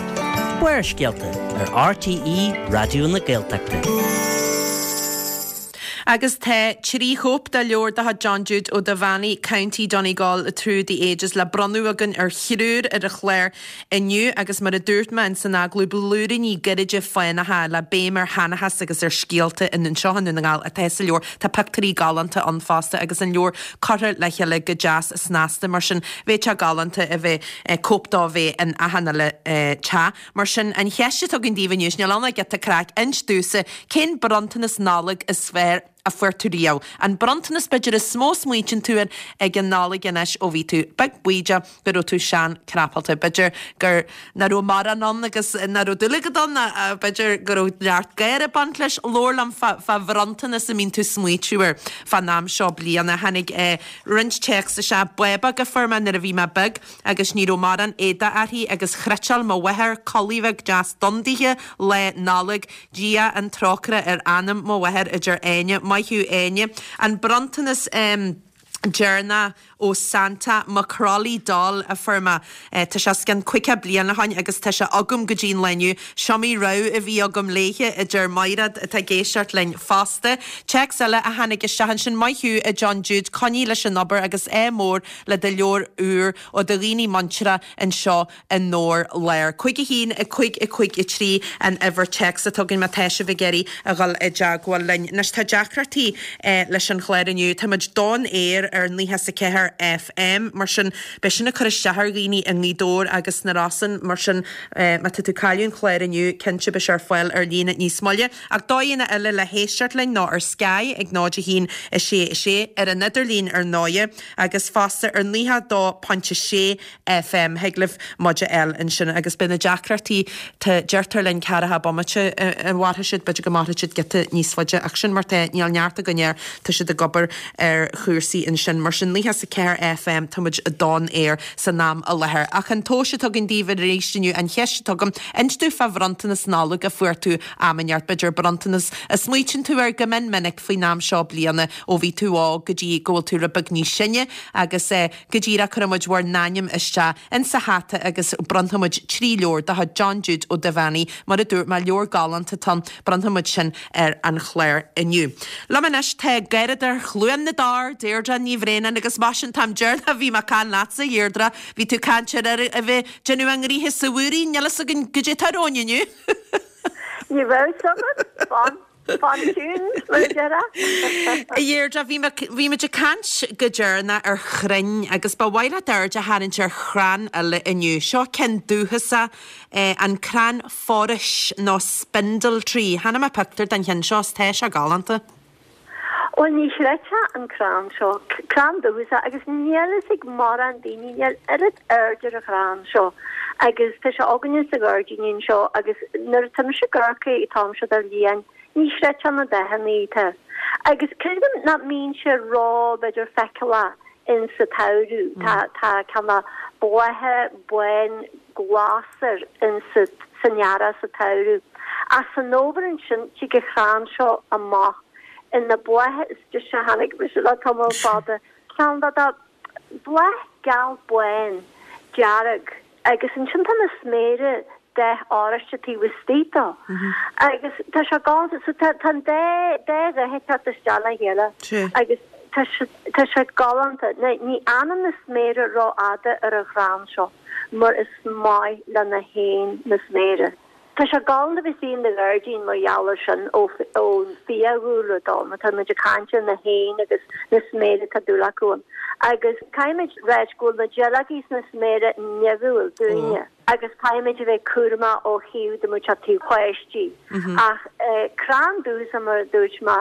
Barrscéalta ar RTÉ Raidió na Gaeltachta. Agus tá trí chóip de leabhar de chuid John Jude Ó Duibheannaigh, County Donegal Through the Ages le bronnadh againn ar thriúr ar an chlár inniu agus mar a dúirt mé ins an agallamh, blúiríní gairide fánacha le béim ar sheanchas agus ar scéalta in anseo i nDún na nGall atá sa leabhar. Tá pictiúirí galánta ann fosta agus an leabhar curtha le chéile go deas snasta mar sin bheadh sé galánta a bheith cóip dó a bheith in achan uile teach. Mar sin an cheist atá againn daoibh inniu, níl ann ach giota craic, inis domhsa cén bronntanas Nollag is fearr a fuair tú riamh. An bronntanas b'fhéidir is mó a smaoitíonn tú air ag an Nollaig anois ó bhí tú beag bídeach go raibh tú sean crapalta. B'fhéidir gur nach raibh mórán ann agus nach raibh dúil agat ann, b'fhéidir go raibh neart gáire ag baint leis. Labhair liom fá fá bhronntanas a mbíonn tú smaoitiú air fán am seo bliana. Tháinig roinnt téacs isteach, bábóg a fuair mé nuair a bhí mé beag agus ní raibh mórán éadaigh uirthi agus chniotáil mo mháthair culaith bheag deas donn dithe lá Nollag. Dia an trócaire ar anam mo mháthar a deir Áine. Maith thú Áine. An bronntanas deireanach ó Santa, mo Crolly doll a fuair mé. Tá sé os cionn caoga bliain ó shoin agus tá sé agam go dtí an lá inniu. S'iomaí rabhadh a bhí agam léithe, a deir Maighread atá ag éisteacht linn fosta. Téacs eile a tháinig isteach ansin, Maith thú a John Jude, coinnigh leis an obair agus ádh mór le do leabhar úr ó do dhaoine muinteartha anseo i nDobhar Láir. Cúig a haon, a cúig, a cúig, a trí an uimhir téacs atá againn má tá sibh ag iarraidh a dhul i dteagmháil linn. Anois tá deacrachtaí leis an chlár inniu. Tá muid don aer ar naocha is a ceathair FM. Mar sin, beidh sin ag cur isteach ar dhaoine i nGaoth Dobhair agus sna Rosann. Mar sin, má tá tú ag cailleadh an chláir inniu, cinnte beidh sé ar fáil ar líne níos moille. Ach dóigheanna eile le héisteacht linn ná ar Sky ag náid a haon a sé a sé, ar an idirlíon ar ndóighe, agus fosta ar naocha a dó pointe sé FM. Thig libh muid a fháil ansin agus beidh na deacrachtaí, tá, deirtear linn ceathracha bomaite a mhairfidh siad, b'fhéidir go mairfidh siad giota níos faide ach sin mar tá, níl neart againn air, tá siad ag obair ar chúrsaí ansin. Mar sin naocha is a ceathair FM, tá muid don aer san am i láthair. Ach an tomhas atá againn daoibh arís inniu, an cheist atá agam, inis domh fá bhronntanas Nollag a fuair tú am inteacht, b'fhéidir bronntanas a smaoitíonn tú air go mion minic faoin am seo bliana ó bhí tú óg go dtí go bhfuil tú rud beag níos sine agus go díreach cuirfidh muid bhur n-ainm isteach insa hata agus bronnfaidh muid trí leabhar de chuid John Jude Ó Duibheannaigh, mar a dúirt mé, leabhar galánta atá ann, bronnfaidh muid sin ar an chlár inniu. Liom anois tá Garradóir Chluain na dTor, Deirdre Ní Bhraonáin agus mar sin an t-am deireanach a bhí mé ag caint leatsa, a Dheirdre, bhí tú ag caint ar a bheith ag déanamh a ngnoithe sa mhúirín, níl fhios againn goidé atá romhainn inniu. Ní raibh fhios agat, fan, fan tuned, mar a déarfá. A Dheirdre, bhí mé, bhí muid ag caint go deireanach ar chrainn agus ba mhaith leat aird a tharraingt ar chrann eile inniu. Seo ceann dúchasach, an crann forais nó spindle tree. Chonaic mé pictiúr den cheann seo is tá sé galánta. Bhuel, ní chreidfeá an crann seo, crann dúchasach, agus níl fhios ag mórán daoine, níl oiread aird ar an chrann seo agus tá sé againne sa ghairdín anseo agus nuair atá mise ag amharc air an t-am seo den bhliain, ní chreidfeá na dathanna atá. Agus creidim nach mbíonn sé ró, b'fhéidir, feiceálach in sa tsamhradh, tá, tá cineál blátha bán glas air in sa, san earrach, sa tsamhradh. Ach san fhómhar ansin, tig an crann seo amach ina bhláth is deise a chonaic mise le tamall fada, ceann de de bhláth geal bán dearg agus ansin tá na sméara dath oráiste taobh istigh dó agus tá sé galánta so tá tá an dá dá dhath ag teacht isteach le chéile agus tá sé tá sé galánta. Ní fhanann na sméara rófhada ar an chrann seo mar is maith le na héin na sméara. Tá sé galánta a bheith istigh in do ghairdín mar gheall ar sin ón bhfiadhúlra dó, má tá muid ag caint ar na héin agus na sméara atá dúil acu ann. Agus caithfimid ráit go bhfuil na duilleogaí is na sméara nimhiúil dúinne agus caithfimid a bheith cúramach ó thaobh dá mbeadh sé taobh páistí. Ach crann dúchasach mar a dúirt mé,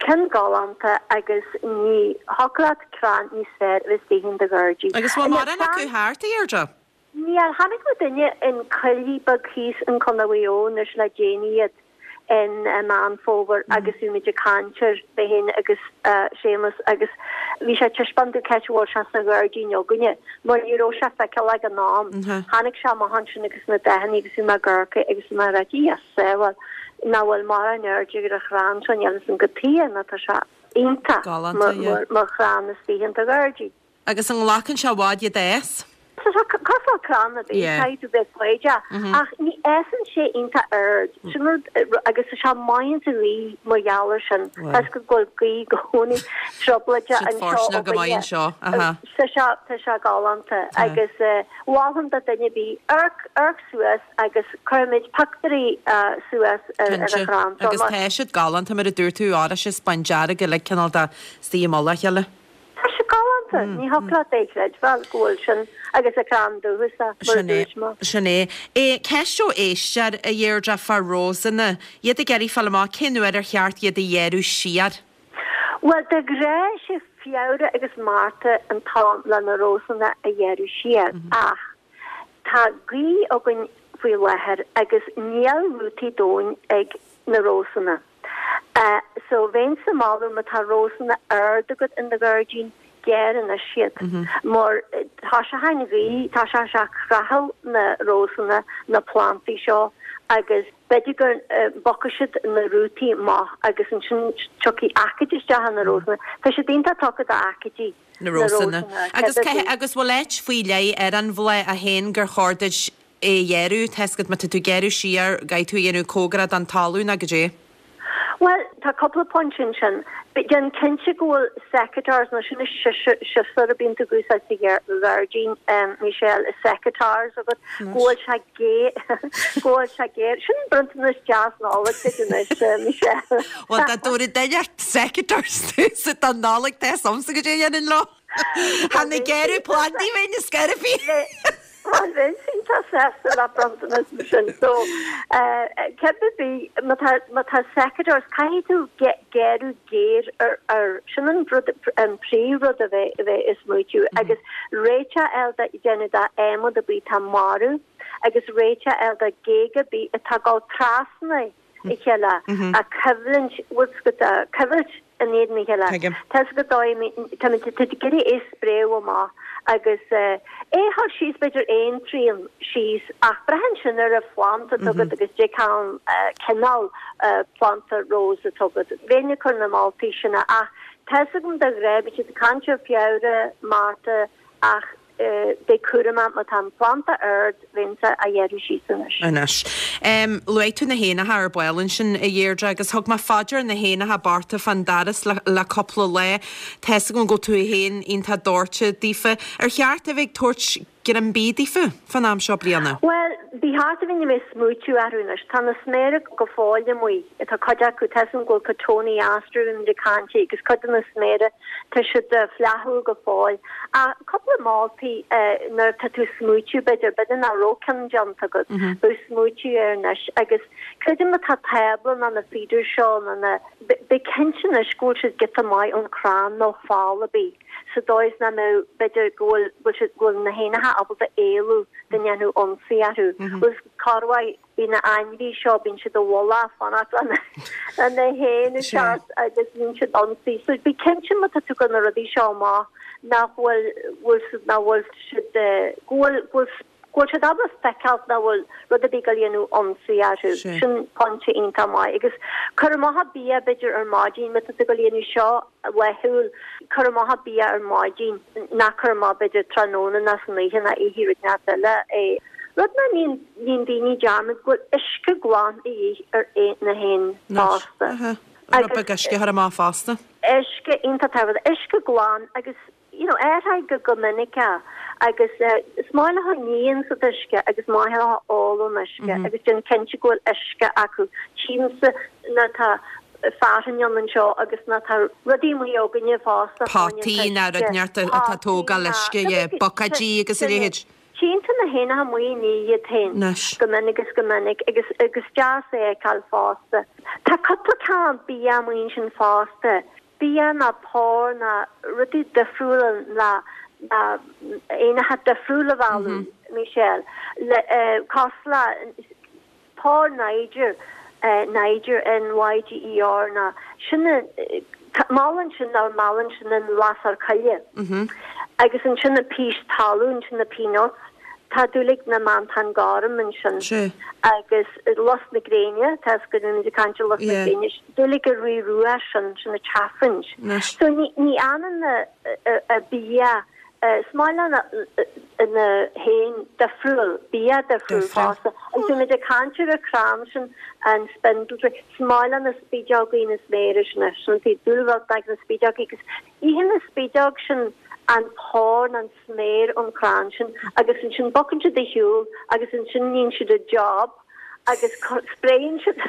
ceann galánta agus ní thiocfadh leat crann níos fearr a bheith istigh in do ghairdín. Agus bhfuil mórán acu thart, a Dheirdre? Níl, chonaic muidinne in coillidh beag thíos in Contae Mhaigh Eo anois le déanaí iad in Meán Fómhair agus bhí muid ag caint air, mé féin agus Séamus agus bhí sé ag taispeáint domh c'áit a bhfuil sé sa ghairdín againne mar ní raibh sé feiceálach ag an am. Chonaic sé amach ansin agus na dathanna agus bhí mé ag amharc air agus bhí mé ag rá Dia sábháil nach bhfuil mórán airde ar an chrann seo níl fhios agam cad chuige nó tá sé iontach mar chrann istigh in do ghairdín. Agus an nglacann sé i bhfad iad a fhás? Tá sé cosúil le crann ar bith, caithfidh tú bheith foighdeach, ach ní fhásann sé iontach ard, sin rud, agus tá sé maith insa ghaoth mar gheall air sin, tá 'fhios agat go bhfuil gaoth i gcónaí trioblóideach Siad anseo fóirsteanach go maith againne. anseo, aha. Tá sé, tá sé galánta agus mholfainn do dhuine ar bith, amharc, amharc suas agus cuirfimid pictiúirí suas ar ar an Cinnte, chrann seo agus mar. tá siad galánta mar a dúirt tú, oráiste is bándearg uilig cineál de istigh i mullach a chéile. Tá sé galánta, ní thiocfadh leat é chreidbheáil go bhfuil sin agus an crann dúchasach, mar a Sin é, dúirt mé. sin é. É, ceist ó éisteoir, a Dheirdre, fá rósanna. Iad ag iarraidh fáil amach cén uair ar cheart iad a ghearradh siar. Bhuel, de ghnáth sé Feabhra agus Márta an t-am le na rósanna a ghearradh siar ach tá gaoth againn faoi láthair agus níl rútaí domhain ag na rósanna. So bheinnse ag moladh má tá rósanna ard agat in do ghairdín, gearr anois iad. Mar tá sé an ghaoth, tá sé sé ag creathadh na rósanna, na plantaí seo agus b'fhéidir go bpocfaidh siad na rútaí amach agus ansin tiocfaidh aicíd isteach ar na rósanna. Tá siad iontach tugtha d'aicídí, Na na rósanna. rósanna, Agus cibé. agus bhfuil áit faoi leith ar an bhláth a théann gur chóir duit é a ghearradh, tá 'fhios agat má tá tú ag gearradh siar, caithfidh tú a dhéanamh cóngarach don talamh nó goidé? Well, tá cúpla pointe ansin. Déan cinnte go bhfuil secateurs nó sin siosúr a bíonn tú ag úsáid sa ghairdín Michelle is secateurs agat go bhfuil sé géar go bhfuil sé géar. Sin bronntanas deas Nollag duit anois Michelle. Well dá dtabharfadh duine secateurs sa don Nollaig tá samsa go dté dhéanann leo. Tha na gearradh plandaí bheinn is scairfí. Well bheinn iontach sásta le bronntanas mar sin so cibé bith má tá má tá secateurs caithfidh tú gearradh géar ar ar sin an rud an príomhrud a bheith a bheith ag smaoitiú agus réiteach a fháil déanamh d'adhmad ar bith atá marbh agus réiteach a fháil do ghéaga ar bith atá ag dul trasna a chéile a coimhlint bhfuil coimhlint in éadan a chéile. Tá go dóigh tá tú ag iarraidh é spréadh amach agus é a chur síos b'fhéidir aon trian síos ach braitheann sin ar an phlanda atá agat agus dé cén cineál planda rose atá agat. Bheinn ag cur na moltaí sin ach tá 's agam de ghnáth bíonn siad ag caint ar Feabhra, Márta ach Beidh cúramach má tá an planda ard, bheinnse á ghearradh síos anois. Anois. Luaigh tú na héanacha ar ball ansin, a Dheirdre, agus thug mé fá dear na héanacha bochta fán doras le le cúpla lá. Tá 'fhios agam go bhfuil tú féin iontach dóite daofa. Ar cheart a bheith ag tabhairt greim bídh daofa fán am seo bliana? Bhuel, ba cheart a bheith ag smaoitiú orthu anois. Tá na sméara go fóill amuigh. Tá cuid acu, tá 'fhios agam go bhfuil cotoneaster a bhí muid ag caint agus cuid de na sméara, tá siad flaithiúil go fóill. Ach cúpla moltaí nuair atá tú ag smaoitiú b'fhéidir, b'fhéidir nach raibh ceann déanta agat, bheadh smaoitiú air anois agus creidim má tá tábla nó na feeders seo nó na, bí cinnte anois go bhfuil siad giota maith ón chrann nó fál ar bith sa dóigh is nach mbeadh, b'fhéidir go bhfuil, bhfuil siad, go bhfuil na héanacha ábalta éalú dá ndéanfadh ionsaí orthu. Bhfuil corruair bíonn na ainmhí seo, bíonn siad i bhfolach fanacht le na héin a theacht agus bíonn siad ionsaí. So bí cinnte má tá tú ag cur na rudaí seo amach nach bhfuil, bhfuil siad, nach bhfuil siad, go bhfuil, go bhfuil, go bhfuil siad ábalta feiceáil nach bhfuil rud ar bith ag dul a dhéanamh ionsaí orthu. Sin pointe iontach maith. Agus cur amach an bia b'fhéidir ar maidin, má tá tú ag dul a dhéanamh seo laethúil, cur amach an bia ar maidin, ná cur amach b'fhéidir tráthnóna ná san oíche ná oíche rud inteacht eile é. Rud nach ndéanann daoine dearmad go bhfuil uisce glan a dhíth ar na héin fosta. Rud beag uisce a chur amach fosta. Uisce iontach tábhachtach, uisce glan agus you know, athraigh go go minic é agus is maith leo ní sa uisce agus maith leo ól an uisce agus déan cinnte go bhfuil uisce acu. Tchímse nuair atá fearthainn ann anseo agus nuair atá rudaí amuigh againne fosta Potaí ná rud inteacht atá ag tógáil uisce, yeah, buicéidí agus a leithéid. Tchíonn tú na héanacha amuigh ag ní iad féin go minic is go minic agus agus deas é a fheiceáil fosta. Tá cúpla ceann bia amuigh ansin fosta. Bia ná pór ná rudaí difriúla ná ná éanacha difriúla a mhealladh, Michelle, le cosúil le pór Niger, Niger, N-Y-G-E-R, ná sin meallann sin ná meallann sin an lasair choille. Agus ansin na pís talún, sin na peanuts, tá dúil ag na meantáin gorm ansin. Agus lus na gréine, tá 'fhios agat muid ag caint ar lus na gréine, dúil ag an rí rua sin, sin na chaffinch. So ní ní fhanann na bia, is maith le na héin difriúil, bia difriúil fosta. Agus bhí muid ag caint ar an chrann sin, an spindle tree, is maith le na spideogaí na sméara sin, sin an taobh dúil bheag ag na spideogaí agus itheann na spideog sin an pór nó an sméar ón chrann sin agus ansin bogann siad ar shiúl agus ansin níonn siad a job agus spréann siad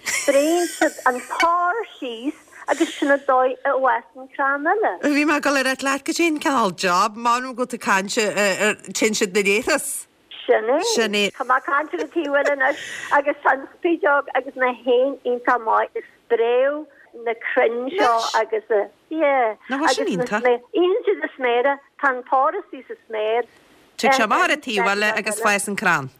spréann siad an pór síos agus sin an dóigh a bhfásann crann eile. Bhí mé ag dul a rá leat goidé an cineál job, m'anam go bhfuil tú ag caint ar téann siad na léithreas. Sin é. Sin é. Tá mé ag caint ar an taobh eile anois agus tá an spideog agus na héin iontach maith ag spréadh na crainn seo agus a, yeah. Nach bhfuil sin Agus na iontach? sméar, itheann siad na sméara, tá an pór istigh sa sméar. Tig sé amach ar an taobh eile agus fásann crann.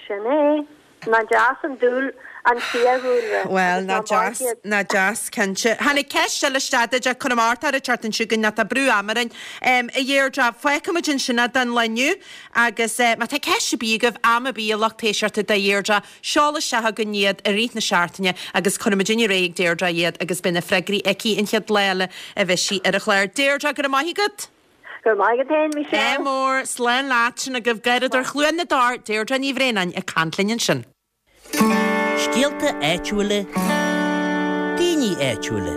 Sin é. Nach deas an dúil an fiadhúlra. Bhuel, nach deas, nach deas, cinnte. Tháinig ceist eile isteach duit, cuirim ort ar an tseachtain seo chugainn, tá brú ama orainn. A Dheirdre, fágfaimid ansin é don lá inniu agus má tá ceist ar bith agaibh, am ar bith, a lucht éisteachta do Dheirdre, seol isteach chugainn iad i rith na seachtaine agus cuirfimid ar aghaidh ag Deirdre iad agus beidh na freagraí aici an chéad lá eile a bheidh sí ar an chlár. Deirdre, go raibh maith agat! Go raibh maith agat féin, Michelle. Ádh mór, slán leat, sin agaibh Garradóir Chluain na dTor, Deirdre Ní Bhraonáin ag caint linn ansin. Scéalta áitiúla, daoine daoine áitiúla.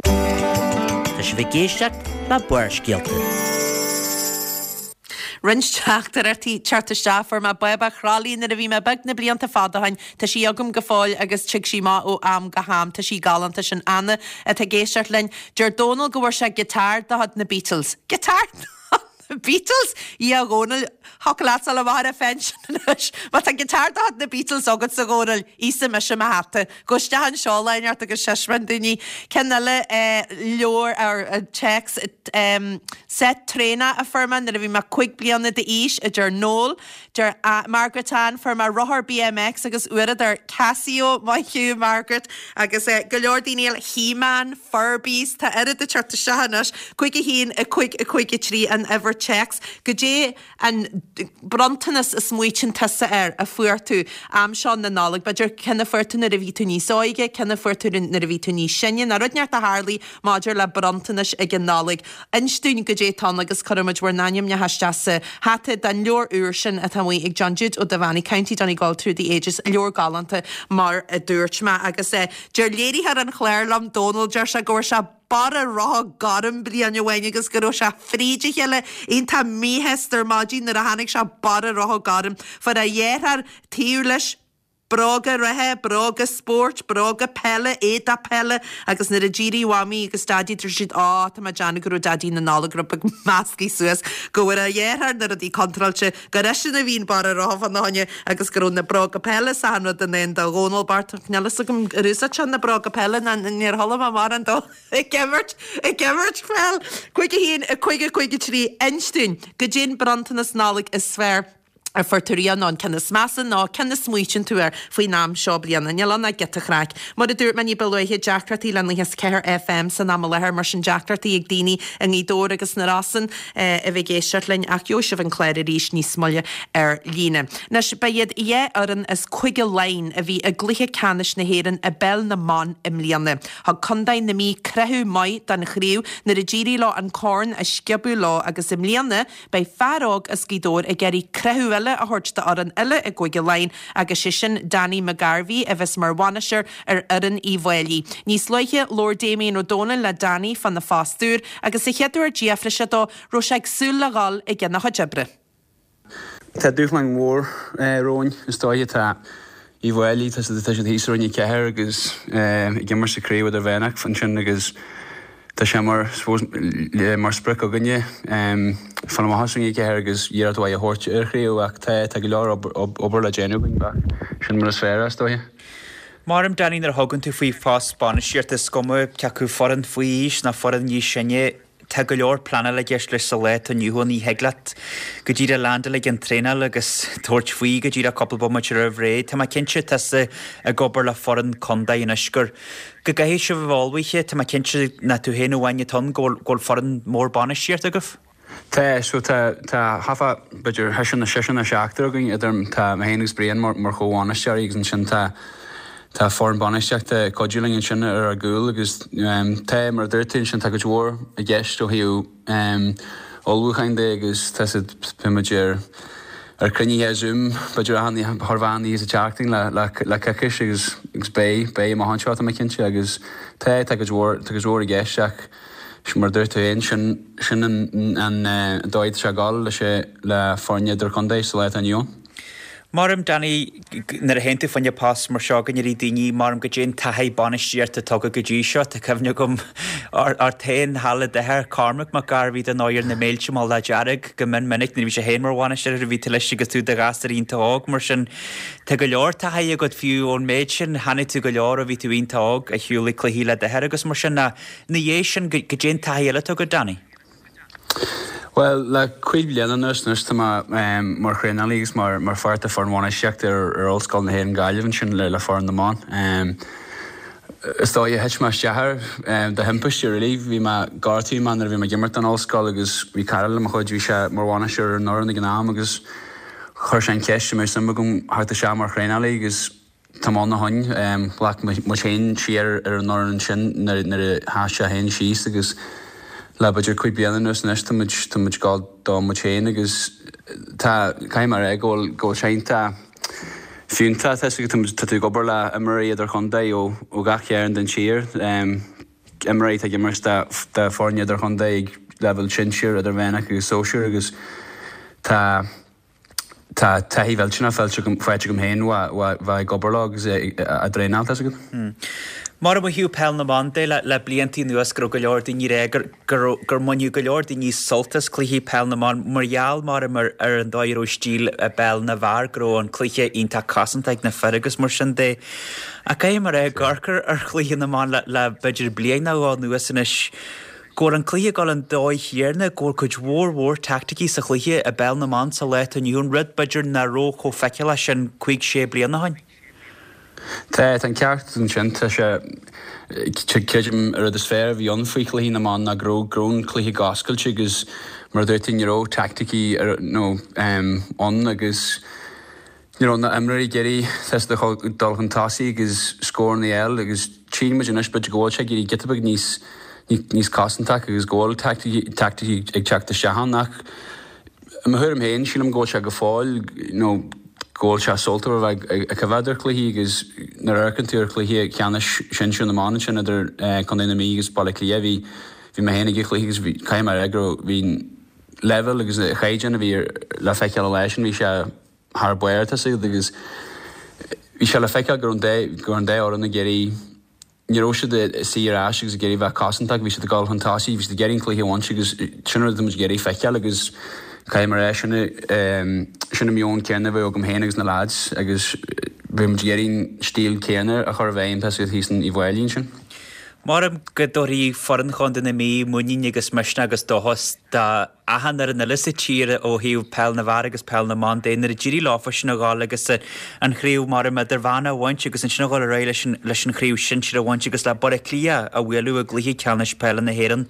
Tá sibh ag éisteacht le Barrscéalta. Roinnt teachtaireachtaí ag teacht isteach fuair mé bábach thralaí nuair a bhí mé beag na blianta fada ó shin. Tá sí agam go fóill agus tig sí amach ó am go ham. Tá sí galánta sin Anna atá ag éisteacht linn. Deir Dónal go bhfuair sé giotár de chuid na Beatles. Giotár na Beatles? A Dhónaill thiocfadh leat dul amach ar an phension anois. Má tá giotár de chuid na Beatles agatsa a Dhónaill, íosfaidh mise mo hata. Gabh isteach anseo lá inteacht agus seismean daoine. Ceann eile leabhar ar téacs set traenach a fuair mé nuair a bhí mé cúig bliana d'aois a deir Noel, deir Margaret Ann fuair mé rothar BMX agus uaireadóir Casio maith thú Margaret agus go leor daoine eile He-Man, Furbies, tá oiread ag teacht isteach anois, cúig a haon a cúig a cúig a trí an uimhir téacs. Goidé an bronntanas a smaoitíonn tusa air a fuair tú am seo na Nollag, b'fhéidir ceann a fuair tú nuair a bhí tú níos óige, ceann a fuair tú nuair a bhí tú níos sine, nó rud inteacht a tharlaigh maidir le bronntanais ag an Nollaig. Inis dúinn goidé atá ann agus cuirfimid bhur n-ainmneacha isteach sa hata den leabhar úr sin atá amuigh ag John Jude Ó Duibheannaigh, County Donegal Through the Ages, leabhar galánta mar a dúirt mé agus deir léiritheoir an chláir liom Dónal, deir sé go bhfuair sé barra rotha gorm bliain amháin agus go raibh sé fríd a chéile iontach míshásta ar maidin nuair a tháinig sé barra rotha gorm. Fuair a dheartháir taobh leis bróga reatha, bróga spóirt, bróga peile, éadach peile agus nuair a d'éirigh Mamaí agus Daidí dúirt siad á tá mé ag déanamh go raibh Daidí na Nollag rud beag measctha suas go bhfuair a dheartháir na rudaí contráilte gur eisean a bhí an barra rotha fána choinne agus go raibh na bróga peile is achan rud in aon do Dhónal Bart níl fhios agam ar úsáid sé na bróga peile ná níor chuala mé mórán dó ag imirt ag imirt peil. Cúig a haon a cúig a cúig a trí inis dúinn goidé an bronntanas Nollag is fearr a fuair tú riamh nó an ceann is measa nó ceann a smaoitíonn tú air faoin am seo bliana. Níl ann ach giota craic. Mar a dúirt mé ní ba luaithe deacrachtaí le nócha is ceathair FM san am i láthair mar sin deacrachtaí ag daoine i nGaoth Dobhair agus sna Rosann a bheith ag éisteacht linn ach gheobhaidh sibh an clár arís níos moille ar líne. Anois ba iad dhá fhoireann as Cúige Laighean a bhí i gcluiche ceannais na hÉireann i bpeil na mban i mbliana. Thug Contae na Mí croitheadh maith don chraobh nuair a d'éirigh leo an corn a sciobadh leo agus i mbliana beidh fear óg as Gaoth Dobhair ag iarraidh croitheadh eile a thabhairt d'fhoireann eile i gCúige Laighean agus sé sin Danny McGarvey a bheas mar bhainisteoir ar fhoireann Uíbh Fhailí. Níos luaithe labhair Damien Ó Dónaill le Danny fána phost úr agus sa chéad uair d'fhiafraigh sé dó raibh sé ag súil le dhul i gcionn a chuid oibre. Tá dúshlán mhór romhainn is dóiche tá Uíbh Fhailí tá siad tá siad thíos i Roinn a Ceathair agus ag imirt sa chraobh idirmheánach ansin agus tá sé mar suppose mar sprioc againne fáil amach as Roinn a Ceathair agus iarracht mhaith a thabhairt ar chraobh ach tá tá go leor obair le déanamh againn ach sin mar is fearr is dóiche. Mar Danny nuair a thugann tú faoi phost bainistíochta is cuma cé acu foireann faoi aois nó foireann níos sine, tá go leor pleanála i gceist leis sa lá atá inniu ann. Ní thig leat go díreach landáil ag an traenáil agus tabhairt faoi go díreach cúpla bomaite roimh ré. Tá mé cinnte tusa ag obair le foireann contae anois gur go gcaithfidh sibh a bheith ullmhaithe. Tá mé cinnte nach tú féin amháin atá ann go bhfuil go bhfuil foireann mór bainistíochta agaibh. Tá so tá tá hafa b'fhéidir seisear nó seisear nó seachtar againn idir tá mé féin agus Brian mar mar chomhbhainisteoirí agus ansin tá tá foireann bainistíochta ag cuidiú linn ansin ar ár gcúl agus tá mar a dúirt tú ansin tá cuid mhór i gceist ó thaobh ullmhúcháin de agus tá siad bíonn muid ar ar cruinnithe Zoom b'fhéidir achan chorr mheán oíche sa tseachtain le le le coicís agus agus beidh beidh amach anseo tá mé cinnte agus tá tá cuid mhór tá cuid mhór i gceist ach mar a dúirt tú féin sin sin an an dóigh atá sé ag dul leis le foirne idirchontae sa lá atá inniu ann. Maram Danny nuair a théann tú fá choinne post mar seo go n-éirí daoine maram goidé an taithí bainistíochta atá agat go dtí seo tá cuimhne agam ort féin thall i d'athair Cormac Mac Gairbhí den ndóigh ar na mílte Lá Dearg go mion minic nuair a bhí sé féin mar bhainisteoir a bhí tú leis agus tú i do ghasúr iontach óg mar sin tá go leor taithí agat fiú ón méid sin chonaic tú go leor ó bhí tú iontach óg ag siúl ag cluichí le d'athair agus mar sin ná ina dhiaidh sin goidé an taithí eile atá agat Danny. Well le cúig bliana anuas anois tá mé mar thraenálaí agus mar mar pháirt de foireann bhainistíochta ar ar Ollscoil na hÉireann Gaillimh ansin le le foireann na mban. Is dóigh thit mé isteach air de thimpiste really. Bhí mé gortaithe mé nuair a bhí mé ag imirt don ollscoil agus bhí cara le mo chuid bhí sé mar bhainisteoir ar an fhoireann ag an am agus chuir sé an cheist an mbeadh suim agam theacht isteach mar thraenálaí agus tá mé ann ó shin. Ghlac muid féin siar ar an fhoireann ansin nuair nuair a sheas sé féin síos agus le b'fhéidir cúig bliana anuas anois tá muid tá muid ag gabháil dó muid féin agus tá caithfidh mé a rá go bhfuil go bhfuil sé iontach fiúntach tá tá tú ag obair le imreoirí idirchontae ó ó gach cearn den tír. Imreoirí atá ag imirt do foirne idirchontae ag leibhéal sinsir, idirmheánach agus sóisir agus tá tá taithí mhillteanach faighte agam féin bheith ag obair leo agus á dtraenáil, tá a fhios agat. Mar a mhaíodh Peil na mBan de le blianta anuas go raibh go leor daoine ag rá gur gur mbaineadh go leor daoine sult as cluichí Peil na mBan mar gheall mar ar an dóigh a raibh stíl i bpeil na bhfear go raibh an cluiche iontach cosanta ag na fir agus mar sin de. Ach caithfidh mé a rá ag amharc ar chluiche na mban le le b'fhéidir bliain nó dhó anuas anois go bhfuil an cluiche ag dul an dóigh chéanna go bhfuil cuid mhór mhór teaicticí sa chluiche i bpeil na mban sa lá atá inniu ann rud b'fhéidir nach raibh chomh feiceálach sin cúig sé bliana ó shin. Tá, tá an ceart ansin. Tá sé, creidim, an rud is fearr a bhí ann faoi chluichí na mban ná go raibh, go raibh an cluiche go oscailte agus mar a dúirt tú ní raibh teaicticí nó ann agus ní raibh na imreoirí ag iarraidh tá dul chun tosaigh agus scóranna a fháil agus tchíonn muid anois b'fhéidir go bhfuil sé ag éirí giota beag níos níos cosantach agus go bhfuil teaicticí ag teacht isteach ann ach i mo thuairim féin sílim go bhfuil sé go fóill nó go bhfuil sé sultmhar a bheith ag coimhéad ar chluichí agus nuair a amharcann tú ar chluiche ceannais sinsir na mban ansin idir Contae na Mí agus Baile Átha Cliath bhí bhí mé féin ag an chluiche agus bhí caithfidh mé a rá go raibh bhí an leibhéal agus an chaighdeán a bhí le feiceáil an lá sin bhí sé thar barr tá a fhios agat agus bhí sé le feiceáil go raibh an dá go raibh an dá fhoireann ag iarraidh Ní raibh siad ag suí ar ais agus ag iarraidh bheith cosantach, bhí siad ag dul chun tosaigh, bhí siad ag iarraidh an cluiche a bhaint agus sin an rud atá muid ag iarraidh feiceáil agus caithfidh mé a rá, sin sin an meon céanna a bheadh agam féin agus na lads agus bheadh muid ag iarraidh an stíl céanna a chur i bhfeidhm tá a fhios agat thíos in Uíbh Fhailí ansin. Maram go dtabharfaidh foireann Chontae na Mí muinín agus misneach agus dóchas do achan fhoireann eile sa tír ó thaobh peil na bhfear agus peil na mban de nuair a d'éirigh leofa sin a dhul agus an chraobh maram idirmheánach a bhaint agus ansin a dhul ar aghaidh leis an leis an chraobh sinsir a bhaint agus le Baile Átha Cliath a bhualadh i gcluiche ceannais peile na hÉireann.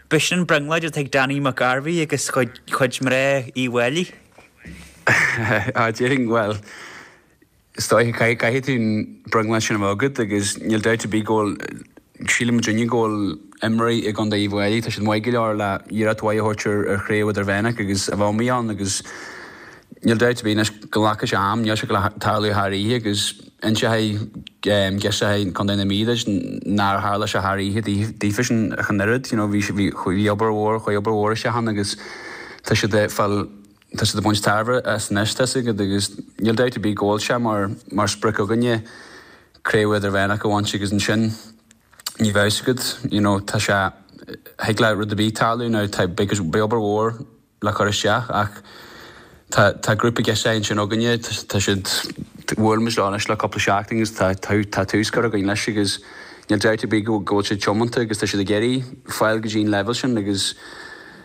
B'shin an brionglóid atá ag Danny McGarvey agus chuid chuid mná Uíbh Fhailí. Á déarfainn, bhuel, Is dóiche, caithfidh tú an brionglóid sin a bheith agat agus níl dabht ar bith go bhfuil, síleann muidinne go bhfuil imreoirí i gContae Uíbh Fhailí, tá siad maith go leor le iarracht mhaith a thabhairt ar chraobh idirmheánach agus a bheith amuigh ann agus níl dabht ar bith anois go nglacfaidh sé am, níl sé ag tarlú thar oíche agus inseoidh girseachaí Contae na Mí duit nár tharla sé thar oíche daofa sin ach an oiread, you know bhí bhí obair mhór, chuaigh obair mhór isteach ann agus tá siad ag fáil Tá siad ag baint tairbhe as anois, tá a fhios agat, agus níl dabht ar bith go bhfuil sé mar mar sprioc againne craobh idirmheánach a bhaint agus ansin ní bheadh a fhios agat, you know, tá sé, thig le rud ar bith tarlú now, tá, beidh beidh obair mhór le cur isteach ach tá tá grúpa girseachaí ansin againne, tá siad, bhuail muid leo anois le cúpla seachtain agus tá tá tús curtha againn leis agus níl dabht ar bith go go bhfuil siad tiomanta agus tá siad ag iarraidh fáil go dtí an leibhéal sin agus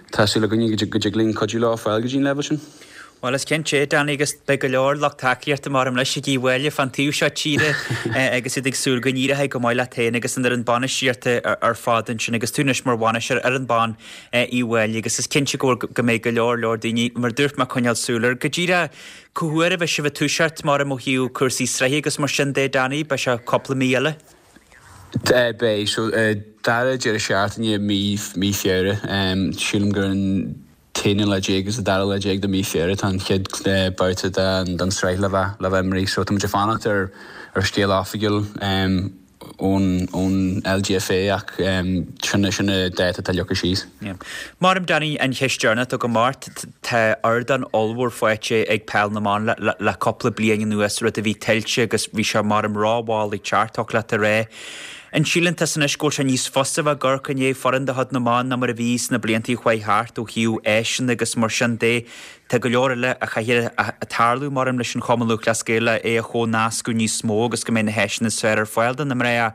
Tá súil againn go dtig linn cuidiú leo fáil go dtí an leibhéal sin. Bhuel, is cinnte é, Danny, agus beidh go leor lucht tacaíochta maram leis ag Uíbh Fhailí fán taobh seo tíre agus iad ag súil go n-éireoidh go maith leat féin agus an fhoireann bainistíochta ar fad ansin agus tú anois mar bhainisteoir ar fhoireann ban Uíbh Fhailí agus is cinnte go bhfuil go mbeidh go leor leor daoine mar dúirt mé ag coinneáil súil air. Go díreach, cá huair a bheidh sibh ag toiseacht maram ó thaobh cúrsaí sraithe agus mar sin de, Danny, beidh sé cúpla mí eile? Beidh. So, dara deireadh seachtaine mí mí Feabhra. Sílim gur an t-aonú lá déag agus an dara lá déag de mí Feabhra atá an chéad babhta den den sraith le bheith le bheith imrithe. So tá muid ag fanacht ar ar scéal oifigiúil ón ón LGFA ach sin sin an dáta atá leagtha síos. Maram Danny, an cheist deireanach agam ort, tá ardán ollmhór faighte ag peil na mban le cúpla bliain anuas, rud a bhí tuillte agus bhí sé maram rómhall ag teacht, thiocfadh leat a rá. An síleann tusa anois go bhfuil sé níos fusa bheith ag amharc i ndiaidh foireann de chuid na mban ná mar a bhí sna blianta a chuaigh thart ó thaobh áiseanna agus mar sin de? Tá go leor eile a chaithfidh a tarlú maram leis an Chumann Lúthchleas Gael le é a chomhnascadh níos mó agus go mbeidh na háiseanna is fearr ar fáil do na mná.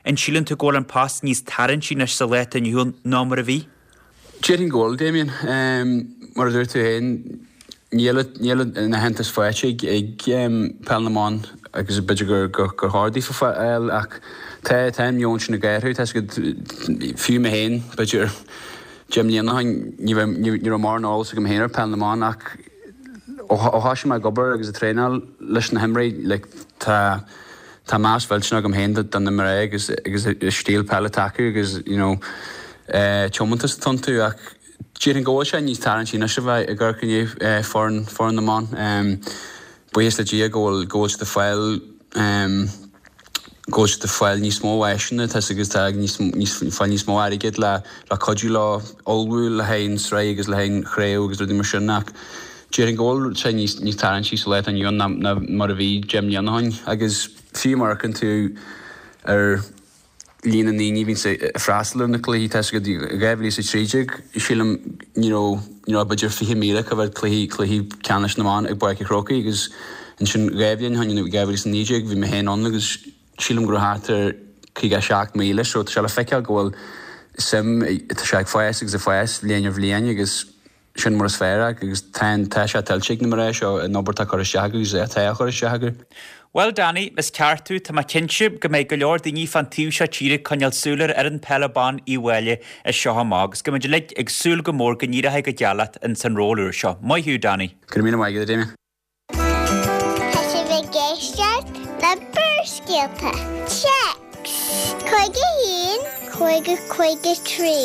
An síleann tú go bhfuil an post níos tarraingtí anois sa lá atá inniu ann ná mar a bhí? Déarfainn go bhfuil, Damien. Mar a dúirt tú féin, níl níl an aitheantas faighte ag ag Peil na mBan agus b'fhéidir gur gur gur chóir daofa fáil ach tá tá an meon sin ag athrú. Tá a fhios agat, fiú mé féin, b'fhéidir, Deich mbliana ó shin ní raibh mórán eolas agam féin ar Peil na mBan ach ó thosaigh mé ag obair agus ag traenáil leis na himreoirí like tá tá meas mhillteanach agam féin do na mná agus agus an stíl peile atá acu agus you know tiomantas atá iontu ach déarfainn go bhfuil sé níos tarraingtí anois a bheith ag amharc i ndiaidh foireann foireann na mban. buíochas le Dia go bhfuil go bhfuil siad ag fáil um, go bhfuil siad ag fáil níos mó áiseanna tá agus tá níos níos fáil níos mó airgid le le cuidiú leo ullmhú le haghaidh an sraith agus le haghaidh an chraobh agus rudaí mar sin ach déarfainn go bhfuil sé níos níos tarraingtí sa lá atá inniu ann ná ná mar a bhí deich mbliana ó shin agus fiú má amharcann tú ar líon na ndaoine a bhíonn ag freastal ar na cluichí tá go dtí dhá mhíle is a trí déag sílim ní raibh ní raibh b'fhéidir fiche míle go bhfuil cluichí cluichí ceannais na mban ag Páirc an Chrócaigh agus ansin dhá bhliain ó shin dhá mhíle is a naoi déag bhí mé féin ann agus sílim go raibh thart ar caoga seacht míle so tá sé le feiceáil go bhfuil suim tá sé ag fás agus ag fás bhliain ar bhliain agus sin mar is fearr agus tá tá sé tuillte ag na mná seo an obair atá curtha isteach agus atá á chur isteach acu. Bhuel Danny, is ceart tú, tá mé cinnte go mbeidh go leor daoine fán taobh seo tíre ag coinneáil súil ar fhoireann peile ban Uíbh Fhailí as seo amach agus go mbeidh uilig ag súil go mór go n-éireoidh go geal leat ins an ról úr seo. Maith thú Danny. Go raibh míle maith agat, a Damien. Tá sibh ag éisteacht le Barrscéalta. Téacs cúig a haon, cúig a cúig a trí.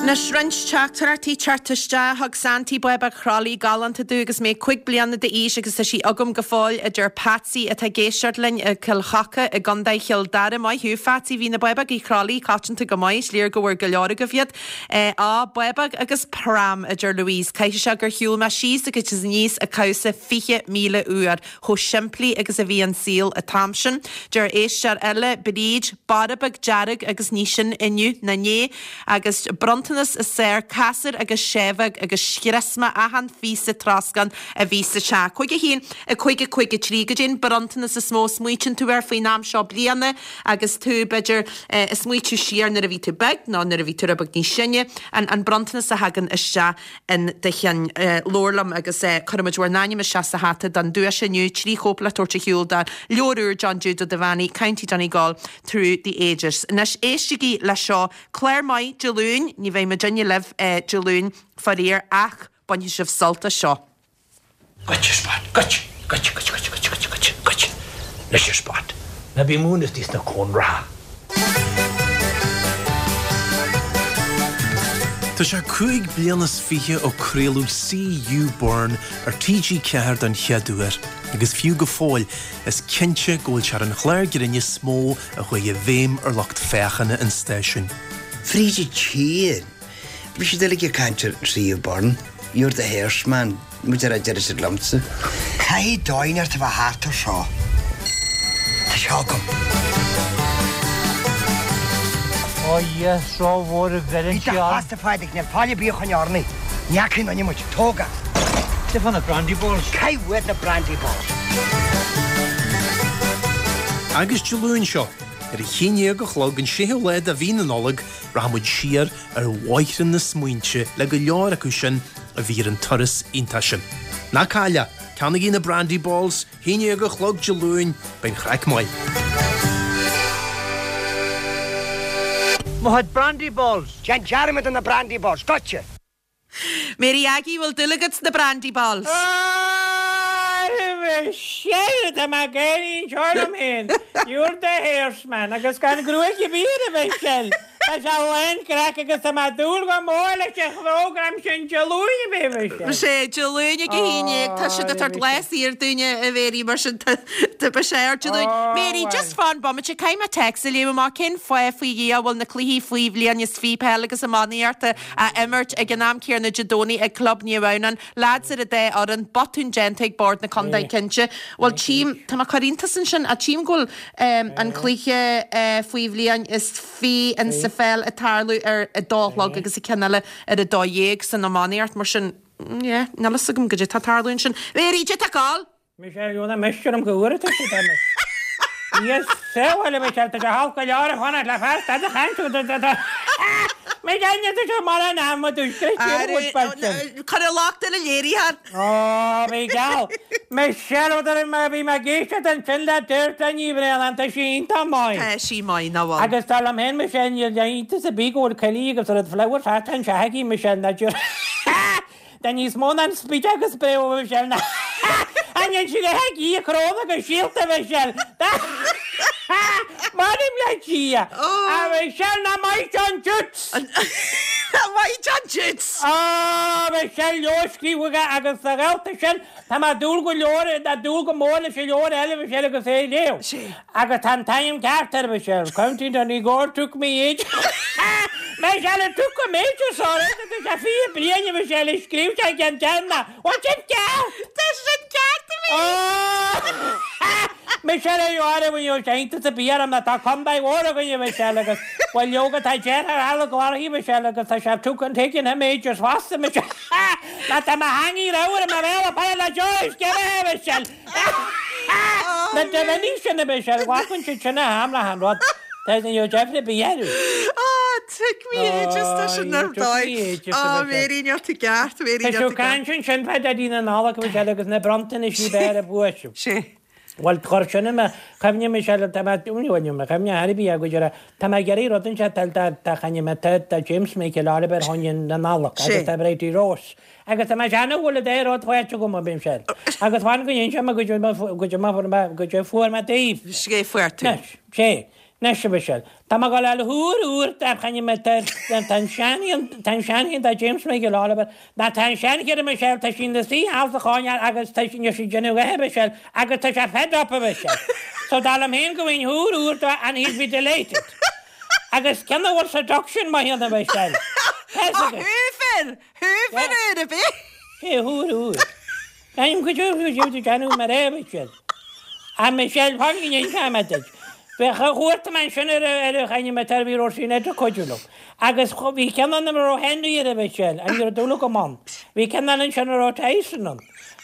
Anois roinnt teachtaireachtaí teacht isteach thug Santy bábóg chrollaí galánta domh agus mé cúig bliana d'aois agus tá sí agam go fóill a deir Patsy atá ag éisteacht linn i Cill Choca i gContae Chill Dara. Maith thú Phatsy, bhí na bábógaí chrollaí coitianta go maith, is léir go bhfuair go leor agaibh iad. Á, bábóg agus pram a deir Louise. Caithfidh sé gur shiúil mé síos agus aníos an cabhsa fiche míle uair, chomh simplí agus a bhí an saol an t-am sin. Deir éisteoir eile, Bríd, borb dearg agus ní sin inniu ná inné agus bronntanas is saor casúr agus seamhóg agus scrios mé achan phíosa troscán a bhí sa teach. Cúig a haon, a cúig a cúig a trí, goidé an bronntanas is mó a smaoitíonn tú air faoin am seo bliana agus tú b'fhéidir ag smaoitiú siar nuair a bhí tú beag nó nuair a bhí tú rud beag níos sine, an an bronntanas a thagann isteach in do cheann. Labhair liom agus cuirfimid bhur n-ainm isteach sa hata don duais inniu, trí chóip le tabhairt ar shiúl de leabhar úr John Jude Ó Duibheannaigh, County Donegal Through the Ages. Anois éistigí le seo, clár maith Dé Luain, ní bheidh muidinne libh Dé Luain faraor ach bainfidh sibh sult as seo. Goitse Spot, goitse, goitse, goitse, goitse, goitse, goitse, goitse, goitse. Anois a Spot. Ná bí múineadh istigh sna cónraithe. Tá sé cúig bliana is fiche ó craoladh CU Burn ar T G ceathair don chéad uair, agus fiú go fóill, is cinnte go bhfuil sé ar an chlár grinn is mó a chuaigh i bhfeidhm ar lucht féachana an stáisiúin. Fríd an tír, bhí siad uilig ag caint ar C U Burn, You're the horseman, muid ar a deireadh siad liomsa. Caithfidh dóigh inteacht a bheith thart ar seo. Tá seo agam. Ó Dhia, seo mhór a bheireann sí Bhí do ann. chás, a Phádraig, níl faill ar bith a choinne orainn. Ní fhaca aon duine muid. Tóg é. Cad é fá na brandy balls? Caith uait na brandy balls. Agus Dé Luain seo, ar a haon déag a chlog an séú lá de mhí na Nollag, rachaidh muid siar ar bhóithre na smaointe le go leor acu sin a bhí ar an turas iontach sin. Ná caill é, ceannaigí na brandy balls, haon déag a chlog Dé Luain, beidh an chraic maith. Mo chuid brandy balls! Déan dearmad de na brandy balls, goitse! Mary Aggie, bhfuil dúil agat sna brandy balls? Michelle, tá mé ag éirí anseo liom féin. You're the horseman agus gan gruaig ar bith air a Mhichelle. Tá sé lán craic agus tá mé ag dúil go mór leis an phrógram sin Dé Luain a bheith Michelle. Sé, Dé Luain ag a haon déag, tá siad ag tabhairt lá saor dúinne a Mhary mar sin tá beidh sé ar Dé Luain. Mary, just fan bomaite, caithfidh mé téacs a léamh amach, cén fáth faoi Dhia a bhfuil na cluichí faoi bhliain is fiche peil agus iománaíochta á imirt ag an am céanna Dé Domhnaigh ag Club Naomh Adhamhnáin, lads ar an dá fhoireann, botún déanta ag Bord na Contae cinnte. Bhuel tchím, tá mé ag cur iontas ansin, ach tchím go bhfuil an cluiche faoi bhliain is fiche in sa pheil ag tarlú ar a dó a chlog agus an ceann eile ar a dó dhéag san iománaíocht, mar sin, yeah, níl fhios agam goidé tá ag tarlú ansin. Mary, goidé tá ag gabháil! Michelle, Jóna, meisce orm go bhfuair tú siad orm. Yes, sábháil a Michelle, tá sé thall go leor a fanacht le fear stad a chaint Michelle, níl tú seo mar an am a dúisce tír a bhfuil sin. Cuir an locht ar an léiritheoir. Ó, bhí geall. Michelle, ó dar mé bhí mé ag éisteacht ansin le Deirdre Ní Bhraonáin, tá sí iontach maith. Tá sí maith, nach bhfuil? Agus dar liom féin, Michelle, níl iontas ar bith go bhfuil Kelly agus rud flower thart anseo aici, Michelle, ná deir. Tá níos mó ná an spíd agus spréadh a Mhichelle ná an ndéan sí go heacaí a cróna go síolta a Mhichelle. M'anam le Dia! A Mhichelle ná maith John Jutes! Maith maith John Jude. Á, Michelle, leabhar scríofa aige agus sa ghaolta sin, tá mé ag dúil go leor, ag dúil go mór leis an leabhar eile, Michelle, agus é a léamh. Agus tá an t-ainm ceart air, Michelle, County Donegal took me ages. Michelle, it took him ages, sorry, tá sé fiche bliain, Michelle, ag scríobh sé an ceann céanna. Bhfuil sin ceart? Tá sin ceart, a Mhéirí. Michelle, ar dheoraí, bhí sé iontach sa bia orm, tá contae mhór againne, Michelle, agus bhuel leoga tá deartháir eile glóthaí, Michelle, agus tá sé took and taken him ages fosta, Michelle. Ná tá mo theangaidh ramhar i mo bhéal ag faire le Joyce, give it, Michelle. Na daoine sin, a Michelle, ghlacann siad sin a ham le han rud. Tá ní raibh deifre ar bith orthu. Ah, took me ages, tá sin ar took me dóigh. ages, Ah, a Michelle. Mary, níl tú ceart, Mary, Tá níl siú tú ceart. caint ansin fá Daidí na Nollag, Michelle, agus na bronntanais b'fhearr a bhuaiteadh. Sé. Bhuel, chuir sin i mo chuimhne, Michelle, tá mé, bhuel, ní mo chuimhne ar bith go deireadh, tá mé ag iarraidh rud anseo tá tá tá chaine mé tá tá James Michael Oliver choinne na Nollag agus Sé. tá Bridie Rose. Agus tá mé seanadh bhfuil a dé rud faighte agam, a Michelle. Agus fan go ndéan sé mé go dtí go dtí fuair mé go dtí fuair mé daoibh. Sé fuair tú. Anois, sé. Anois, a Michelle. Tá mé ag dul a thuar úr tá chaine mé tá tá an seanfhíon tá an seanfhíon tá James Michael Oliver ná tá an seanchire Michelle tá sí ina suí thall sa choirnéal agus tá sí níl sí ag déanamh a dhath, Michelle, agus tá sé fed up, a Michelle. So dar liom féin go bhfuil thuar úr dó and he'll be delighted. Agus ceann a bhfuil seduction maith iontu, Michelle. Tá Á, agat. thuafar! Thuafar úr a bith! Sé thuar úr. Ainm go dtí go dtí déanamh mar é, Michelle. A Michelle, fan go ndéan mé duit. Bheadh a chuairt mé ansin ar ar a chaine mé tar bhí raibh sí idir cuidiú liom. Agus bhí ceann ann a raibh Henry ar a Michelle, an ní raibh dúil agam ann. Bhí ceann eile ansin a raibh Tyson ann.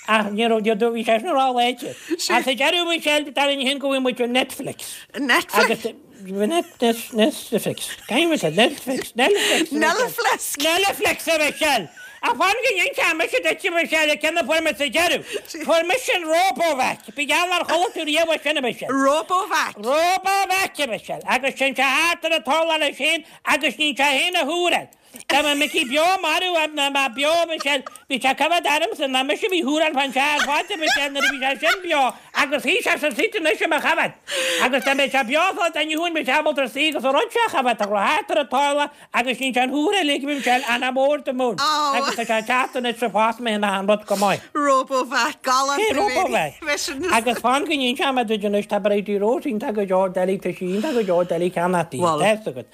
Ach ní raibh bhí sé sin ró-láidir. Ach sa deireadh Michelle, dar linn féin go bhfuil muid ar Netflix. Netflix? Agus Net, Netflix. Caithfidh muid Netflix, Netflix. Netflix. Netflix a Michelle. Ach fan go ndéan mise duit a Michelle, ceann a fuair mé sa deireadh. Fuair mise an Robovac. Bí geall ar chuala tú riamh sin a Michelle. Robovac. Robovac a Michelle. Agus sin sé thart ar an urlár leis féin agus ní sé féin a thuaráil. Tá mé Mickey beo marú ná má beo Michelle. Bhí sé coimhéad ormsa ná mise bhí thuaráil fan sé ar fad a Michelle nuair a bhí sé sin beo agus shuigh sé sa seat anois i mo choimhéad. Agus tá mé sé beo fá duine thuain bhí sé ábalta suí agus an rud sé a choimhéad tá thart ar an urlár agus ní sé an thuaráil ag Michelle an mór de mún. Agus tá sé teacht anois sa fás mé ina an rud go maith. Robovac, galánta Sé Robovac. Agus fan go ndéan sé mé duit anois tá Bridie Rose iontach go deo doiligh tá sí iontach go deo doiligh ceannach Bhuel, tá agat.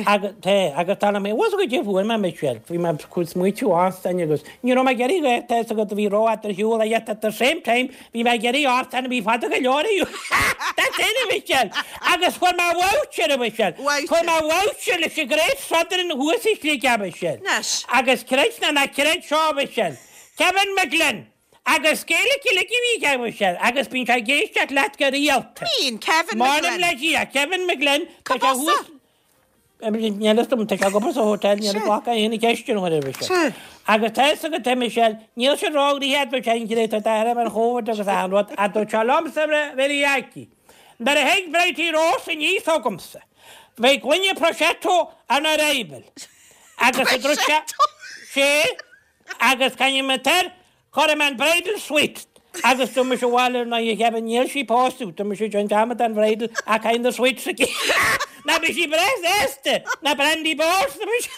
Agus tá agus tá mé was go dtí fuair mé Michelle, bhí mé chun smaoitiú ársain agus ní raibh mé ag iarraidh go tá fhios agat bhí rófhada ar shiúl yet at the same time bhí mé ag iarraidh ársain a bhí fada go leor a That's it a Michelle. Agus fuair mé voucher a Michelle. Fuair mé voucher leis an Great Southern thuas i Sligeach a Michelle. Anois. Agus creid nó ná creid seo a Michelle. Kevin McGlynn. Agus Gaeilge uilig a bhí aige a Michelle. Agus bíonn sé ag éisteacht leat go rialta. Bíonn, Kevin M'anam McGlynn. le Dia, Kevin McGlynn. Tá sé Cá thuas Níl fhios dom, tá sé ag obair sa hotel, níl Sé. glacadh aon cheist an chuir Michelle. Sé. Agus tá fhios agat a Michelle, níl sé róghraithe dúirt sé an ghréit tá ar an Chóvid agus an rud, a dúirt sé liomsa bhí aici. Nuair a thig Bridie Rose aníos chugamsa. Bheidh gloine prosecco on arrival. Agus a dúirt sé sé agus caine me ter, chuir mé an bridal suite. Agus dúirt mise bhaile ná i Kevin níl sí pósta, dúirt mise John dearmad an bridal a kind of suite sa Na bhí sí breá sásta, na brandy balls na bhí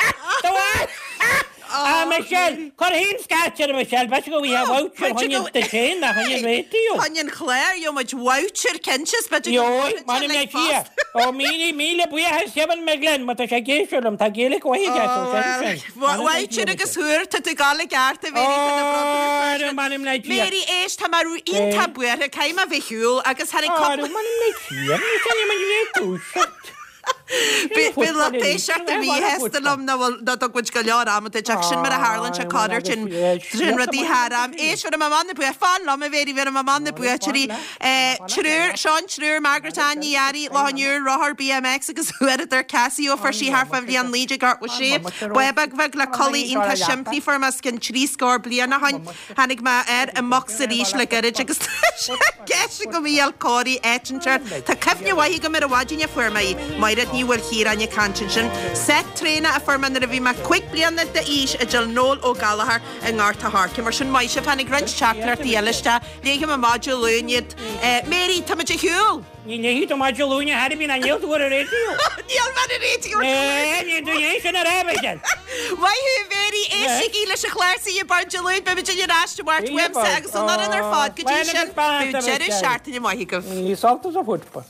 Ah Michelle, chuir haon scáir Michelle, b'fhéidir go bhí a voucher choinne de sin na choinne raidió. Choinne an chláir, gheobhaidh muid voucher cinnte, b'fhéidir go Jo, bhfuil m'anam le like Dia. Ó míle míle buíochas Kevin McGlynn, má tá sé ag éisteacht liom, tá Gaeilge mhaith aige, so sin sin. Voucher agus thuair, tá tú gal i gceart a Mary tá na bronntanais. Ó, m'anam le Dia. Mary éist, tá mé iontach buartha, caithfidh mé bheith shiúl agus tháinig Ó, cúpla m'anam le Dia, ní sin man le dúiseacht. Bhí lucht éisteachta míshásta liom ná bhfuil ná dtug muid go leor ama duit ach sin mar a tharlaíonn sé corruair sin sin rudaí thar am. Éist, bhí mé amach na bua fan liom a Mhéirí, bhí mé amach na buaiteoirí. Triúr, Seán Triúr, Margaret Ann Ní Fhearraigh, Loch an Iúir, rothar BMX agus uaireadar Casio fuair sí thart fá bhliain naoi déag ochtó sé. Bábóg bheag le culaith iontach simplí fuair mé os cionn trí scór bliain ó shin. Tháinig mé air i mbocsa arís le gairid agus tá sé i gceist agam í a fháil cóirithe áit inteacht. Tá cuimhne mhaith agam ar an mhaidin a fuair mé í. Mairéad Ní Uí Mhaoilchiaráin ag caint ansin. Seit traenach a fuair mé nuair a bhí mé cúig bliana d'aois a deir Noel Ó Gallchóir i nGort a' Choirce. Mar sin maith sibh, tháinig roinnt teachtaireachtaí eile isteach. Léifidh mé amach Dé Luain iad. Mary, táimid ar shiúl! Ní léifidh tú amach Dé Luain ar chor ar bith ná níl tú ar an raidió. Níl mé ar an raidió Dé Luain. Níl tú é sin a rá, Michelle. Maith thú, Mary, éistigí leis an chlár Saoi Bord Dé Luain, beimid ar ais i Máirt uaimse agus an fhoireann ar fad go dtí sin. Bíodh deireadh seachtaine maith agaibh. Ní sult as a football.